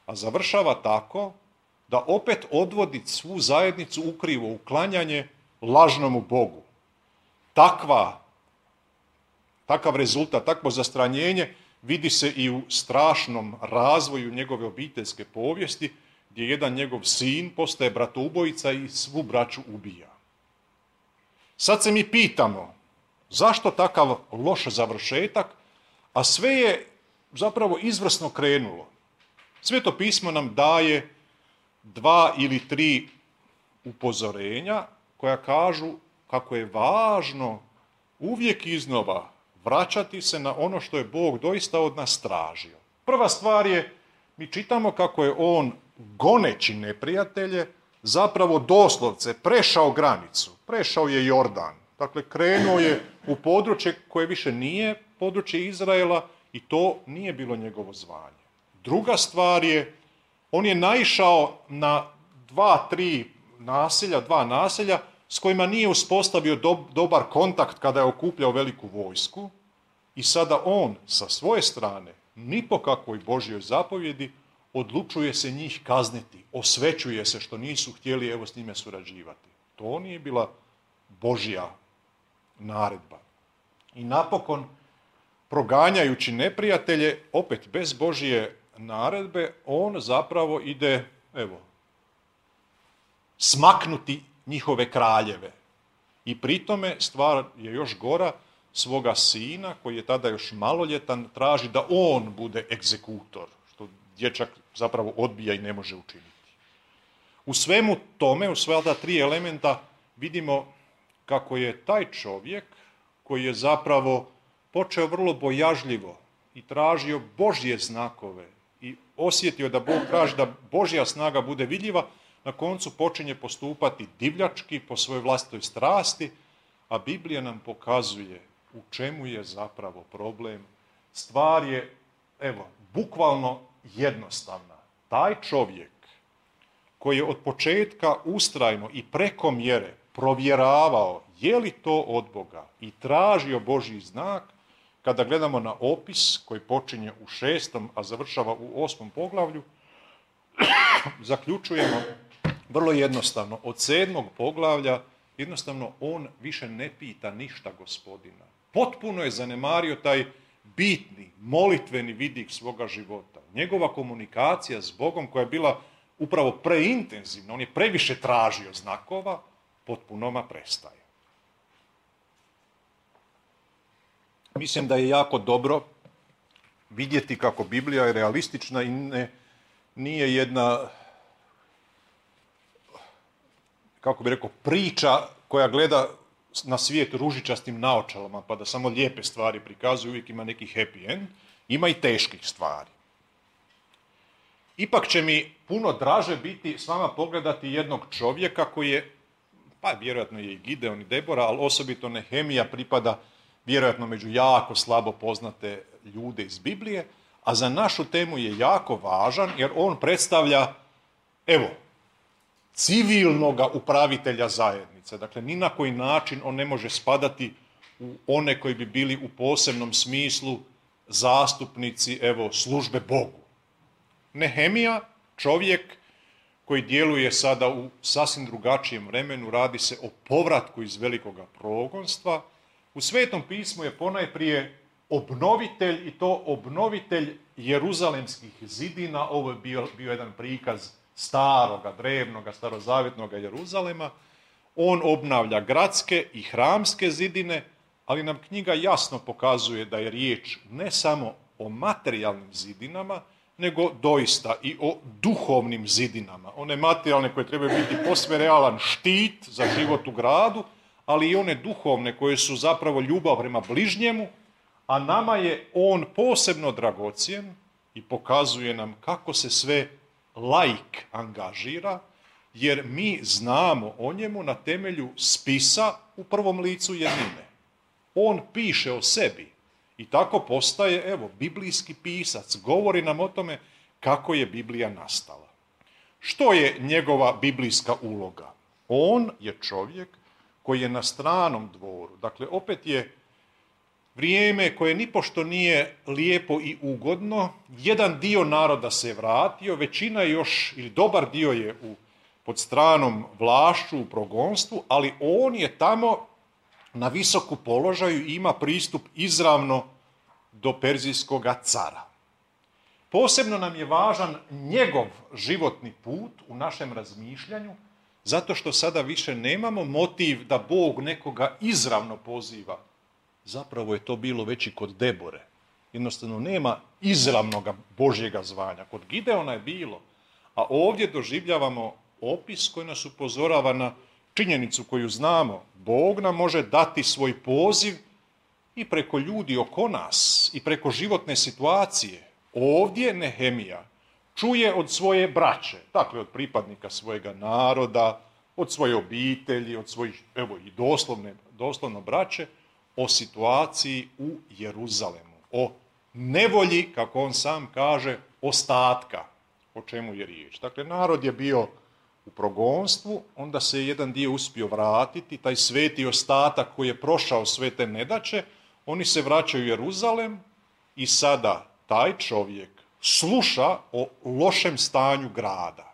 a završava tako da opet odvodi svu zajednicu ukrivo u klanjanje lažnomu Bogu. Takav rezultat, takvo zastranjenje vidi se i u strašnom razvoju njegove obiteljske povijesti, gdje jedan njegov sin postaje bratoubojica i svu braću ubija. Sad se mi pitamo, zašto takav loš završetak, a sve je zapravo izvrsno krenulo. Sveto pismo nam daje 2 ili 3 upozorenja koja kažu kako je važno uvijek iznova vraćati se na ono što je Bog doista od nas tražio. Prva stvar je, mi čitamo kako je on, goneći neprijatelje, zapravo doslovce prešao granicu, prešao je Jordan. Dakle, krenuo je u područje koje više nije područje Izraela i to nije bilo njegovo zvanje. Druga stvar je, on je naišao na 2 naselja s kojima nije uspostavio dobar kontakt kada je okupljao veliku vojsku i sada on sa svoje strane, ni po kakvoj Božjoj zapovjedi, odlučuje se njih kazniti, osvećuje se što nisu htjeli s njime surađivati. To nije bila Božja naredba. I napokon, proganjajući neprijatelje, opet bez Božje naredbe, on zapravo ide, smaknuti njihove kraljeve. I pri tome stvar je još gora, svoga sina, koji je tada još maloljetan, traži da on bude egzekutor, što dječak zapravo odbija i ne može učiniti. U svemu tome, u sva ta 3 elementa, vidimo kako je taj čovjek, koji je zapravo počeo vrlo bojažljivo i tražio Božje znakove i osjetio da Bog traži da Božja snaga bude vidljiva, na koncu počinje postupati divljački po svojoj vlastitoj strasti, a Biblija nam pokazuje u čemu je zapravo problem. Stvar je, bukvalno jednostavna. Taj čovjek koji je od početka ustrajno i preko mjere provjeravao je li to od Boga i tražio Božji znak, kada gledamo na opis koji počinje u 6., a završava u 8. poglavlju, zaključujemo vrlo jednostavno. Od 7. poglavlja jednostavno on više ne pita ništa Gospodina. Potpuno je zanemario taj bitni, molitveni vidik svoga života. Njegova komunikacija s Bogom koja je bila upravo preintenzivna, on je previše tražio znakova, potpunoma prestaje. Mislim da je jako dobro vidjeti kako Biblija je realistična i nije jedna, kako bi rekao, priča koja gleda na svijet ružičastim naočalama, pa da samo lijepe stvari prikazuje, uvijek ima neki happy end, ima i teških stvari. Ipak će mi puno draže biti s vama pogledati jednog čovjeka koji je, pa vjerojatno je i Gideon i Debora, ali osobito Nehemija pripada vjerojatno među jako slabo poznate ljude iz Biblije, a za našu temu je jako važan jer on predstavlja, evo, civilnoga upravitelja zajednice. Dakle, ni na koji način on ne može spadati u one koji bi bili u posebnom smislu zastupnici, evo, službe Bogu. Nehemija, čovjek koji djeluje sada u sasvim drugačijem vremenu, radi se o povratku iz velikoga progonstva. U Svetom pismu je ponajprije obnovitelj i to obnovitelj jeruzalemskih zidina. Ovo je bio jedan prikaz staroga, drevnoga, starozavjetnoga Jeruzalema. On obnavlja gradske i hramske zidine, ali nam knjiga jasno pokazuje da je riječ ne samo o materijalnim zidinama, nego doista i o duhovnim zidinama. One materijalne koje trebaju biti posve realan štit za život u gradu, ali i one duhovne koje su zapravo ljubav prema bližnjemu, a nama je on posebno dragocjen i pokazuje nam kako se sve laik angažira, jer mi znamo o njemu na temelju spisa u prvom licu jednine. On piše o sebi i tako postaje, evo, biblijski pisac. Govori nam o tome kako je Biblija nastala. Što je njegova biblijska uloga? On je čovjek koji je na stranom dvoru. Dakle, opet je vrijeme koje nipošto nije lijepo i ugodno. Jedan dio naroda se je vratio, većina još, ili dobar dio je pod stranom vlašću u progonstvu, ali on je tamo na visoku položaju i ima pristup izravno do perzijskog cara. Posebno nam je važan njegov životni put u našem razmišljanju, zato što sada više nemamo motiv da Bog nekoga izravno poziva. Zapravo je to bilo već i kod Debore. Jednostavno nema izravnog Božjega zvanja. Kod Gideona je bilo, a ovdje doživljavamo opis koji nas upozorava na činjenicu koju znamo. Bog nam može dati svoj poziv i preko ljudi oko nas i preko životne situacije. Ovdje Nehemija čuje od svoje braće, dakle od pripadnika svojega naroda, od svoje obitelji, od svojih, evo i doslovno braće, o situaciji u Jeruzalemu, o nevolji, kako on sam kaže, ostatka, o čemu je riječ. Dakle, narod je bio u progonstvu, onda se jedan dio uspio vratiti, taj sveti ostatak koji je prošao sve te nedaće, oni se vraćaju u Jeruzalem i sada taj čovjek sluša o lošem stanju grada.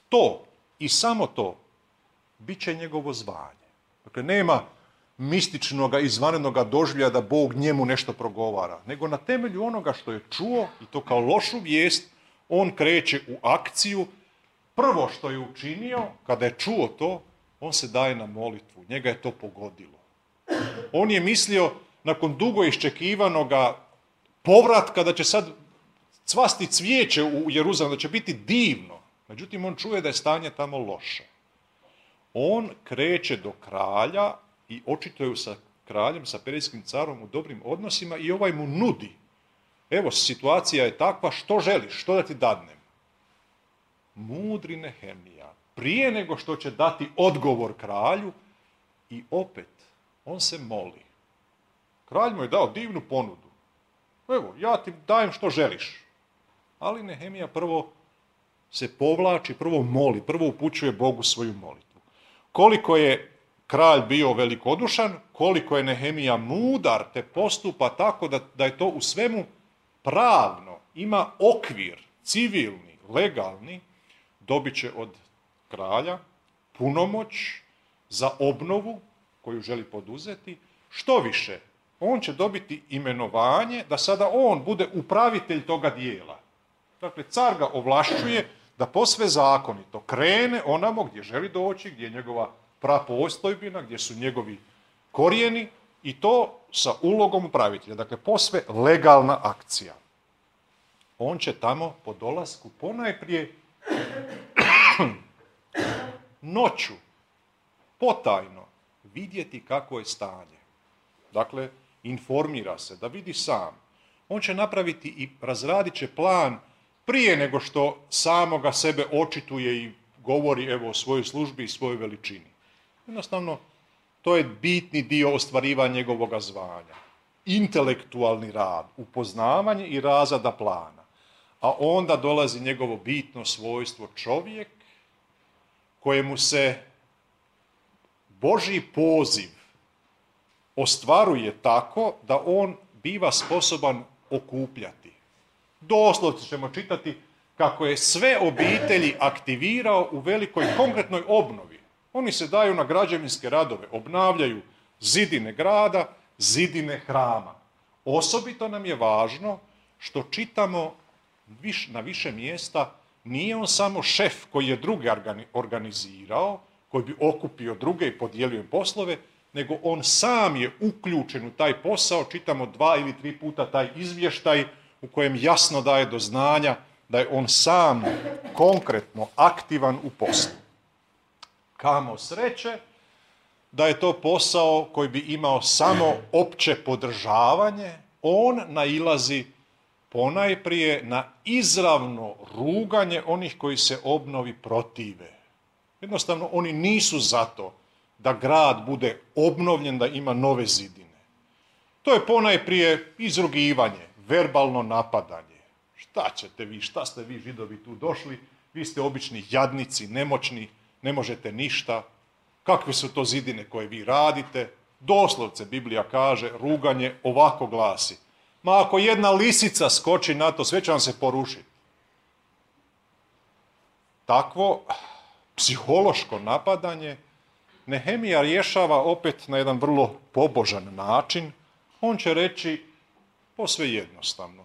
To i samo to bit će njegovo zvanje. Dakle, nema mističnoga, izvanrednoga doživljaja da Bog njemu nešto progovara, nego na temelju onoga što je čuo, i to kao lošu vijest, on kreće u akciju. Prvo što je učinio, kada je čuo to, on se daje na molitvu. Njega je to pogodilo. On je mislio, nakon dugo iščekivanoga povratka, da će sad cvasti cvijeće u Jeruzalemu, da će biti divno. Međutim, on čuje da je stanje tamo loše. On kreće do kralja i očito je sa kraljem, sa perzijskim carom u dobrim odnosima i ovaj mu nudi. Evo, situacija je takva, što želiš, što da ti dadnem? Mudri Nehemija, prije nego što će dati odgovor kralju, i opet, on se moli. Kralj mu je dao divnu ponudu. Evo, ja ti dajem što želiš. Ali Nehemija prvo se povlači, prvo moli, prvo upućuje Bogu svoju molitvu. Koliko je kralj bio velikodušan, koliko je Nehemija mudar te postupa tako da je to u svemu pravno, ima okvir, civilni, legalni, dobit će od kralja punomoć za obnovu koju želi poduzeti. Što više, on će dobiti imenovanje da sada on bude upravitelj toga dijela. Dakle, car ga ovlašćuje da posve zakonito krene onamo gdje želi doći, gdje je njegova prapostojbina, gdje su njegovi korijeni i to sa ulogom upravitelja. Dakle, posve legalna akcija. On će tamo po dolasku ponajprije noću, potajno, vidjeti kako je stanje. Dakle, informira se, da vidi sam. On će napraviti i razradit će plan prije nego što samoga sebe očituje i govori evo o svojoj službi i svojoj veličini. Jednostavno, to je bitni dio ostvarivanja njegovog zvanja. Intelektualni rad, upoznavanje i razrada plana. A onda dolazi njegovo bitno svojstvo čovjek kojemu se Božji poziv ostvaruje tako da on biva sposoban okupljati. Doslovno ćemo čitati kako je sve obitelji aktivirao u velikoj konkretnoj obnovi. Oni se daju na građevinske radove, obnavljaju zidine grada, zidine hrama. Osobito nam je važno što čitamo na više mjesta, nije on samo šef koji je druge organizirao, koji bi okupio druge i podijelio im poslove, nego on sam je uključen u taj posao, čitamo 2 ili 3 puta taj izvještaj u kojem jasno daje do znanja da je on sam konkretno aktivan u poslu. Kamo sreće da je to posao koji bi imao samo opće podržavanje, on nailazi ponajprije na izravno ruganje onih koji se obnovi protive. Jednostavno, oni nisu zato da grad bude obnovljen, da ima nove zidine. To je ponajprije izrugivanje, verbalno napadanje. Šta ćete vi, šta ste vi Židovi tu došli? Vi ste obični jadnici, nemoćni, ne možete ništa. Kakve su to zidine koje vi radite? Doslovce Biblija kaže, ruganje ovako glasi. Ma ako jedna lisica skoči na to, sve će vam se porušiti. Takvo psihološko napadanje Nehemija rješava opet na jedan vrlo pobožan način. On će reći posve jednostavno.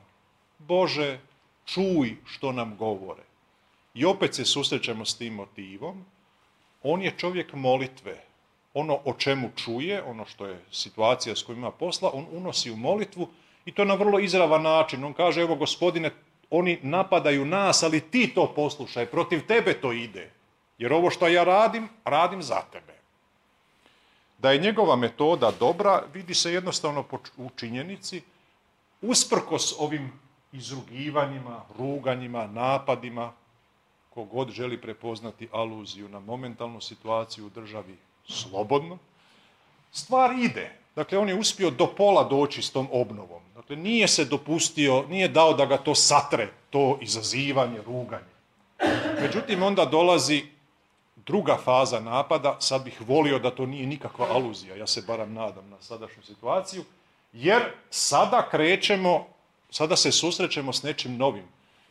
Bože, čuj što nam govore. I opet se susrećemo s tim motivom. On je čovjek molitve. Ono o čemu čuje, ono što je situacija s kojima ima posla, on unosi u molitvu i to na vrlo izravan način. On kaže, evo Gospodine, oni napadaju nas, ali ti to poslušaj, protiv tebe to ide. Jer ovo što ja radim, radim za tebe. Da je njegova metoda dobra, vidi se jednostavno u činjenici, usprkos ovim izrugivanjima, ruganjima, napadima, kogod želi prepoznati aluziju na momentalnu situaciju u državi slobodno, stvar ide. Dakle, on je uspio do pola doći s tom obnovom. Dakle, nije se dopustio, nije dao da ga to satre, to izazivanje, ruganje. Međutim, onda dolazi druga faza napada, sad bih volio da to nije nikakva aluzija, ja se barem nadam na sadašnju situaciju, jer sada se susrećemo s nečim novim.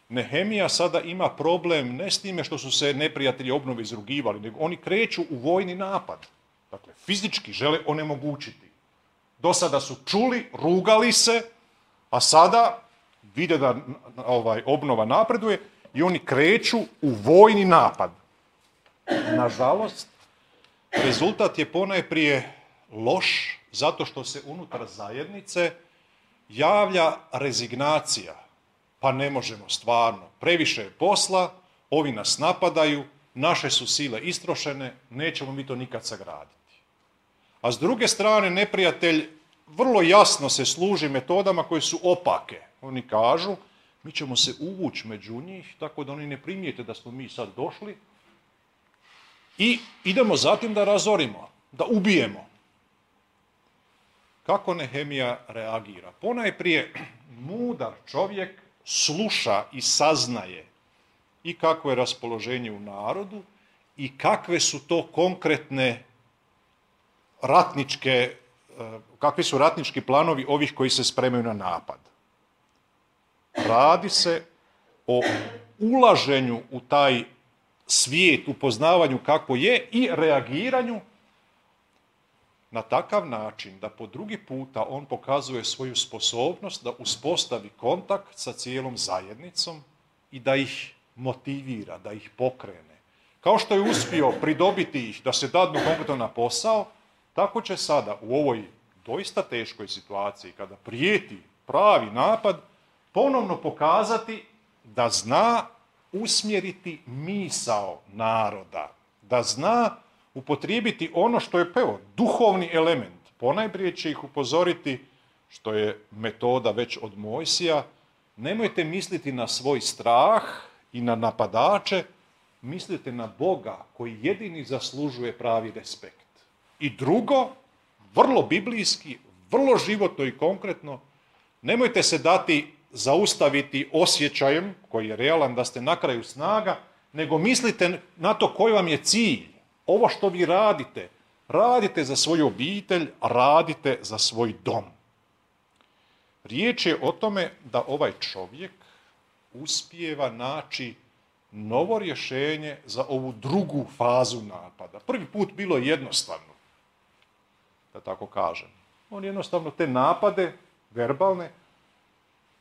Nehemija sada ima problem ne s time što su se neprijatelji obnove izrugivali, nego oni kreću u vojni napad. Dakle, fizički žele onemogućiti. Do sada su čuli, rugali se, a sada vide da obnova napreduje i oni kreću u vojni napad. Nažalost, rezultat je ponajprije loš, zato što se unutar zajednice javlja rezignacija. Pa ne možemo stvarno, previše je posla, ovi nas napadaju, naše su sile istrošene, nećemo mi to nikad sagraditi. A s druge strane, neprijatelj vrlo jasno se služi metodama koje su opake. Oni kažu, mi ćemo se uvući među njih, tako da oni ne primijete da smo mi sad došli i idemo zatim da razorimo, da ubijemo. Kako Nehemija reagira? Ponajprije, mudar čovjek sluša i saznaje i kakvo je raspoloženje u narodu i kakve su to konkretne kakvi su ratnički planovi ovih koji se spremaju na napad. Radi se o ulaženju u taj svijet, upoznavanju kako je i reagiranju na takav način da po drugi puta on pokazuje svoju sposobnost da uspostavi kontakt sa cijelom zajednicom i da ih motivira, da ih pokrene. Kao što je uspio pridobiti ih da se dadnu konkretno na posao, tako će sada u ovoj doista teškoj situaciji, kada prijeti pravi napad, ponovno pokazati da zna usmjeriti misao naroda, da zna upotrijebiti ono što je duhovni element. Ponajprije će ih upozoriti, što je metoda već od Mojsija, nemojte misliti na svoj strah i na napadače, mislite na Boga koji jedini zaslužuje pravi respekt. I drugo, vrlo biblijski, vrlo životno i konkretno, nemojte se dati zaustaviti osjećajem, koji je realan da ste na kraju snaga, nego mislite na to koji vam je cilj. Ovo što vi radite, radite za svoju obitelj, radite za svoj dom. Riječ je o tome da ovaj čovjek uspijeva naći novo rješenje za ovu drugu fazu napada. Prvi put bilo je jednostavno, da tako kažem. On jednostavno te napade, verbalne,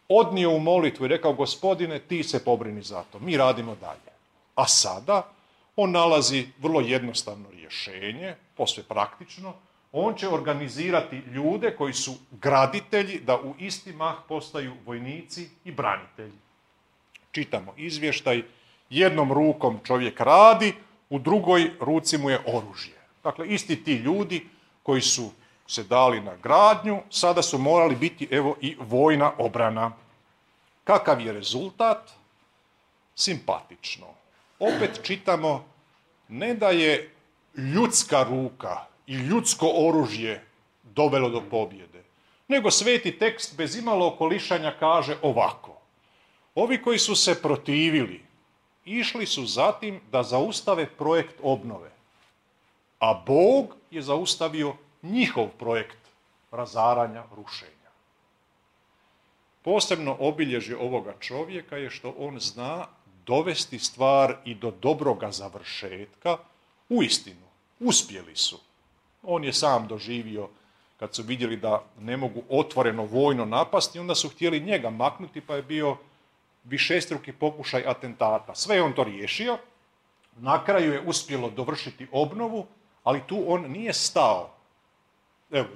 odnio u molitvu i rekao, Gospodine, ti se pobrini za to, mi radimo dalje. A sada on nalazi vrlo jednostavno rješenje, posve praktično. On će organizirati ljude koji su graditelji da u isti mah postaju vojnici i branitelji. Čitamo izvještaj, jednom rukom čovjek radi, u drugoj ruci mu je oružje. Dakle, isti ti ljudi koji su se dali na gradnju, sada su morali biti i vojna obrana. Kakav je rezultat? Simpatično. Opet čitamo ne da je ljudska ruka i ljudsko oružje dovelo do pobjede, nego sveti tekst bez imalo okolišanja kaže ovako. Ovi koji su se protivili, išli su zatim da zaustave projekt obnove, a Bog je zaustavio njihov projekt razaranja, rušenja. Posebno obilježje ovoga čovjeka je što on zna dovesti stvar i do dobroga završetka. Uistinu, uspjeli su. On je sam doživio, kad su vidjeli da ne mogu otvoreno vojno napasti, onda su htjeli njega maknuti, pa je bio višestruki pokušaj atentata. Sve je on to riješio, na kraju je uspjelo dovršiti obnovu, ali tu on nije stao. Evo,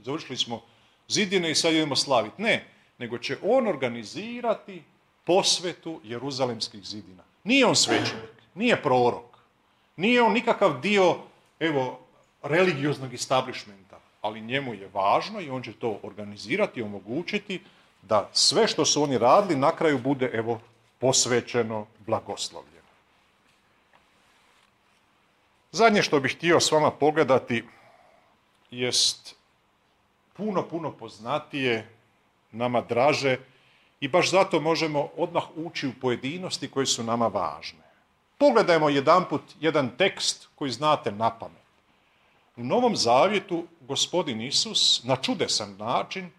završili smo zidine i sad idemo slaviti. Ne, nego će on organizirati posvetu Jeruzalemskih zidina. Nije on svećenik, nije prorok, nije on nikakav dio, religioznog establishmenta, ali njemu je važno i on će to organizirati i omogućiti da sve što su oni radili na kraju bude, posvećeno, blagoslovljeno. Zadnje što bih htio s vama pogledati jest puno poznatije, nama draže i baš zato možemo odmah ući u pojedinosti koje su nama važne. Pogledajmo jedanput jedan tekst koji znate napamet. U Novom Zavjetu Gospodin Isus na čudesan način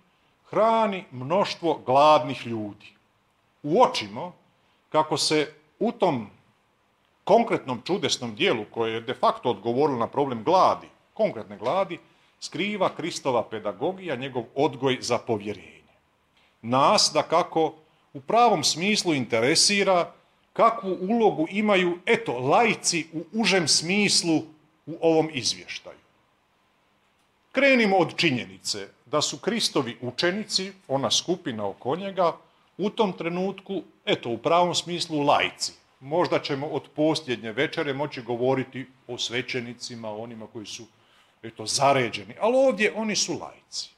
hrani mnoštvo gladnih ljudi. Uočimo kako se u tom konkretnom čudesnom dijelu koje je de facto odgovorilo na problem gladi, konkretne gladi, skriva Kristova pedagogija, njegov odgoj za povjerenje. Nas dakako u pravom smislu interesira kakvu ulogu imaju, laici u užem smislu u ovom izvještaju. Krenimo od činjenice da su Kristovi učenici, ona skupina oko njega, u tom trenutku, u pravom smislu laici. Možda ćemo od posljednje večere moći govoriti o svećenicima, o onima koji su, zaređeni, ali ovdje oni su laici.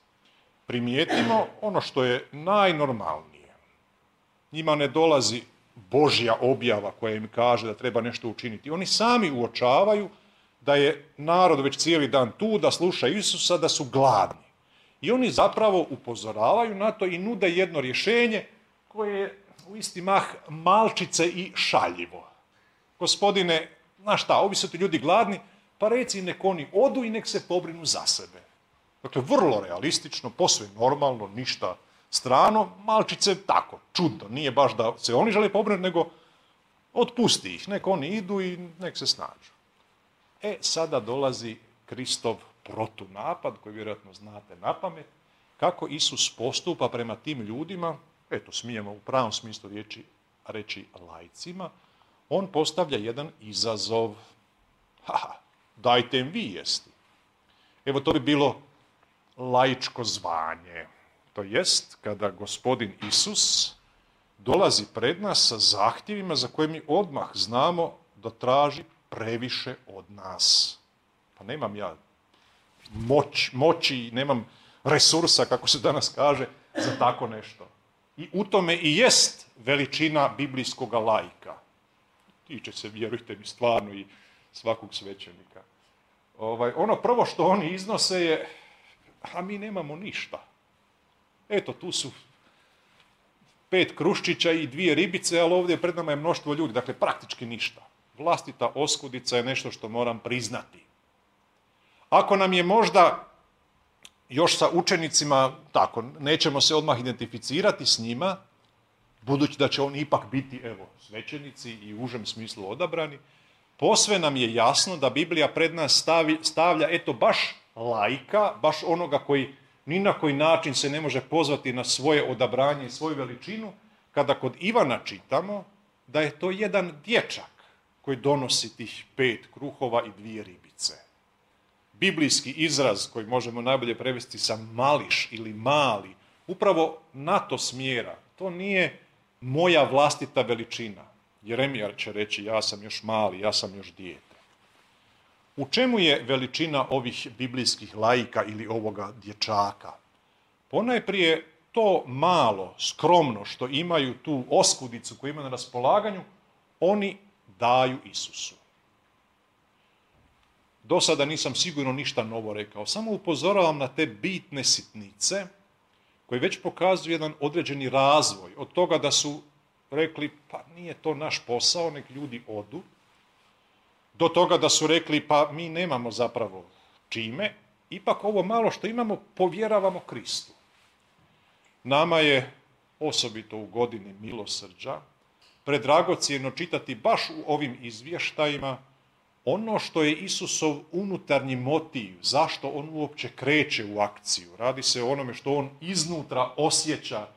Primijetimo ono što je najnormalnije. Njima ne dolazi Božja objava koja im kaže da treba nešto učiniti. Oni sami uočavaju da je narod već cijeli dan tu, da sluša Isusa, da su gladni. I oni zapravo upozoravaju na to i nude jedno rješenje koje je u isti mah malčice i šaljivo. Gospodine, znaš šta, ovi su ti ljudi gladni, pa reci nek oni odu i nek se pobrinu za sebe. Dakle, vrlo realistično, posve normalno, ništa strano, malčice tako, čudno. Nije baš da se oni žele pobrinuti, nego otpusti ih, nek oni idu i nek se snađu. Sada dolazi Kristov protunapad, koji vjerojatno znate na pamet, kako Isus postupa prema tim ljudima, eto, smijemo u pravom smislu reći laicima, on postavlja jedan izazov. Dajte im vi jesti. Evo, to bi bilo laičko zvanje. To jest, kada gospodin Isus dolazi pred nas sa zahtjevima za koje mi odmah znamo da traži previše od nas. Pa nemam ja moći, nemam resursa, kako se danas kaže, za tako nešto. I u tome i jest veličina biblijskog laika. Tiče se, vjerujte mi, stvarno i svakog svećenika. Ono prvo što oni iznose je, a mi nemamo ništa. Eto, tu su 5 kruščića i 2 ribice, ali ovdje pred nama je mnoštvo ljudi, dakle praktički ništa. Vlastita oskudica je nešto što moram priznati. Ako nam je možda još sa učenicima, tako, nećemo se odmah identificirati s njima, budući da će oni ipak biti, evo, svećenici i u užem smislu odabrani, posve nam je jasno da Biblija pred nas stavlja, eto, baš laika, baš onoga koji ni na koji način se ne može pozvati na svoje odabranje i svoju veličinu, kada kod Ivana čitamo da je to jedan dječak koji donosi tih 5 kruhova i 2 ribice. Biblijski izraz koji možemo najbolje prevesti sa mališ ili mali, upravo na to smjera. To nije moja vlastita veličina. Jeremija će reći, ja sam još mali, ja sam još dijete. U čemu je veličina ovih biblijskih laika ili ovoga dječaka? Ponajprije to malo, skromno što imaju tu oskudicu koju imaju na raspolaganju, oni daju Isusu. Do sada nisam sigurno ništa novo rekao, samo upozoravam na te bitne sitnice koji već pokazuju jedan određeni razvoj. Od toga da su rekli, pa nije to naš posao, nek ljudi odu, do toga da su rekli, pa mi nemamo zapravo čime, ipak ovo malo što imamo povjeravamo Kristu. Nama je, osobito u godini milosrđa, predragocjeno čitati baš u ovim izvještajima ono što je Isusov unutarnji motiv, zašto on uopće kreće u akciju. Radi se o onome što on iznutra osjeća.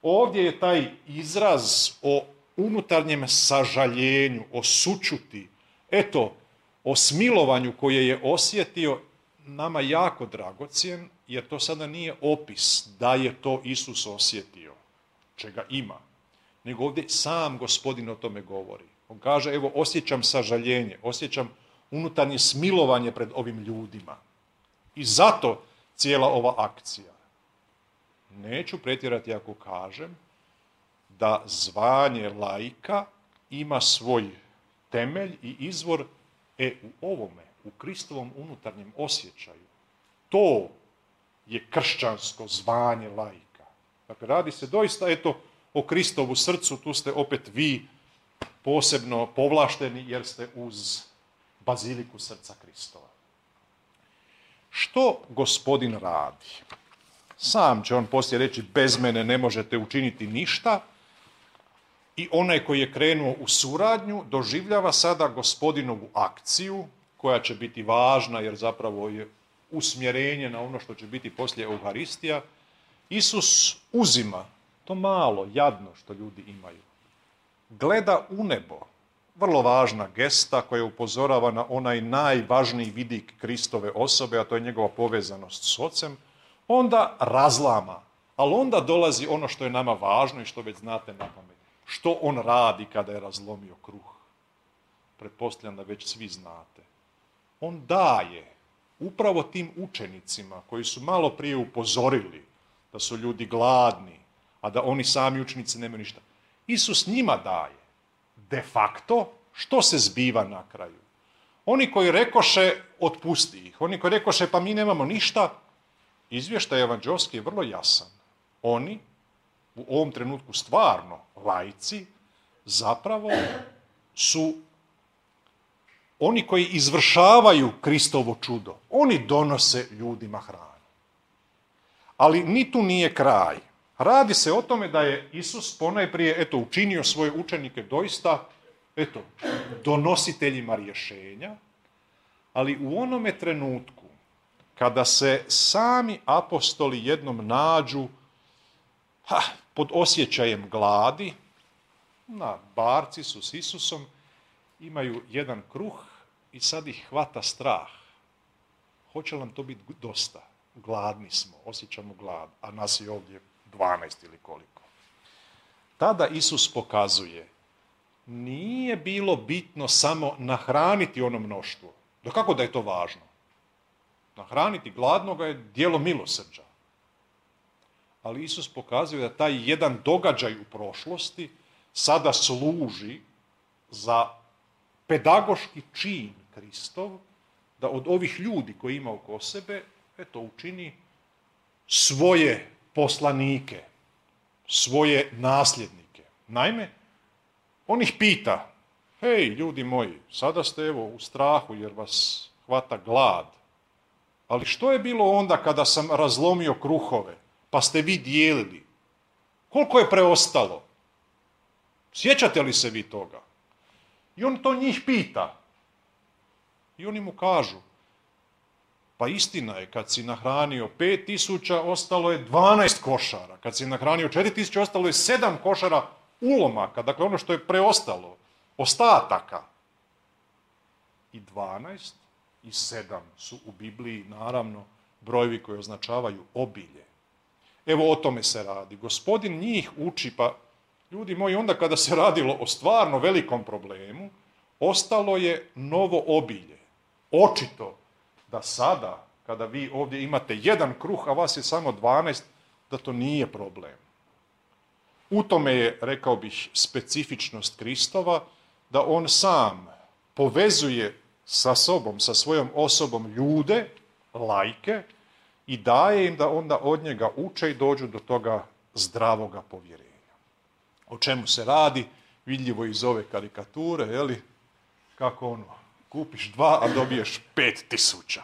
Ovdje je taj izraz o unutarnjem sažaljenju, o sućuti, eto, o smilovanju koje je osjetio, nama jako dragocjen, jer to sada nije opis da je to Isus osjetio, čega ima, nego ovdje sam Gospodin o tome govori. On kaže, evo, osjećam sažaljenje, osjećam unutarnje smilovanje pred ovim ljudima. I zato cijela ova akcija. Neću pretjerati ako kažem da zvanje laika ima svoj temelj i izvor u ovome, u Kristovom unutarnjem osjećaju. To je kršćansko zvanje laika. Dakle, radi se doista, eto, o Kristovu srcu, tu ste opet vi posebno povlašteni jer ste uz baziliku srca Kristova. Što Gospodin radi? Sam će on poslije reći, bez mene ne možete učiniti ništa, i onaj koji je krenuo u suradnju doživljava sada Gospodinovu akciju, koja će biti važna jer zapravo je usmjerenje na ono što će biti poslije Euharistija. Isus uzima to malo, jadno što ljudi imaju. Gleda u nebo, vrlo važna gesta koja upozorava na onaj najvažniji vidik Kristove osobe, a to je njegova povezanost s Ocem, onda razlama, ali onda dolazi ono što je nama važno i što već znate na pamet. Što on radi kada je razlomio kruh? Pretpostavljam da već svi znate. On daje upravo tim učenicima koji su malo prije upozorili da su ljudi gladni, a da oni sami učenici nemaju ništa. Isus njima daje. De facto, što se zbiva na kraju? Oni koji rekoše, otpusti ih. Oni koji rekoše, pa mi nemamo ništa, izvještaj evanđelski je vrlo jasan. Oni, u ovom trenutku stvarno laici, zapravo su oni koji izvršavaju Kristovo čudo, oni donose ljudima hranu. Ali ni tu nije kraj. Radi se o tome da je Isus ponajprije učinio svoje učenike doista donositeljima rješenja, ali u onome trenutku kada se sami apostoli jednom nađu pod osjećajem gladi, na barci su s Isusom, imaju jedan kruh i sad ih hvata strah. Hoće nam to biti dosta? Gladni smo, osjećamo glad, a nas je ovdje 12 ili koliko. Tada Isus pokazuje, nije bilo bitno samo nahraniti ono mnoštvo. Da kako da je to važno? Nahraniti gladnoga je djelo milosrđa. Ali Isus pokazuje da taj jedan događaj u prošlosti sada služi za pedagoški čin Kristov, da od ovih ljudi koji ima oko sebe, učini svoje poslanike, svoje nasljednike. Naime, on ih pita, hej, ljudi moji, sada ste u strahu jer vas hvata glad, ali što je bilo onda kada sam razlomio kruhove, pa ste vi dijelili? Koliko je preostalo? Sjećate li se vi toga? I on to njih pita. I oni mu kažu, pa istina je, kad si nahranio 5000, ostalo je 12 košara. Kad si nahranio 4000, ostalo je 7 košara ulomaka, dakle ono što je preostalo, ostataka. I 12 i 7 su u Bibliji, naravno, brojevi koji označavaju obilje. Evo o tome se radi. Gospodin njih uči, pa ljudi moji, onda kada se radilo o stvarno velikom problemu, ostalo je novo obilje. Očito da sada, kada vi ovdje imate jedan kruh, a vas je samo 12, da to nije problem. U tome je, rekao bih, specifičnost Kristova, da on sam povezuje sa sobom, sa svojom osobom ljude, laike, i daje im da onda od njega uče i dođu do toga zdravoga povjerenja. O čemu se radi? Vidljivo iz ove karikature, kako kupiš 2, a dobiješ 5000.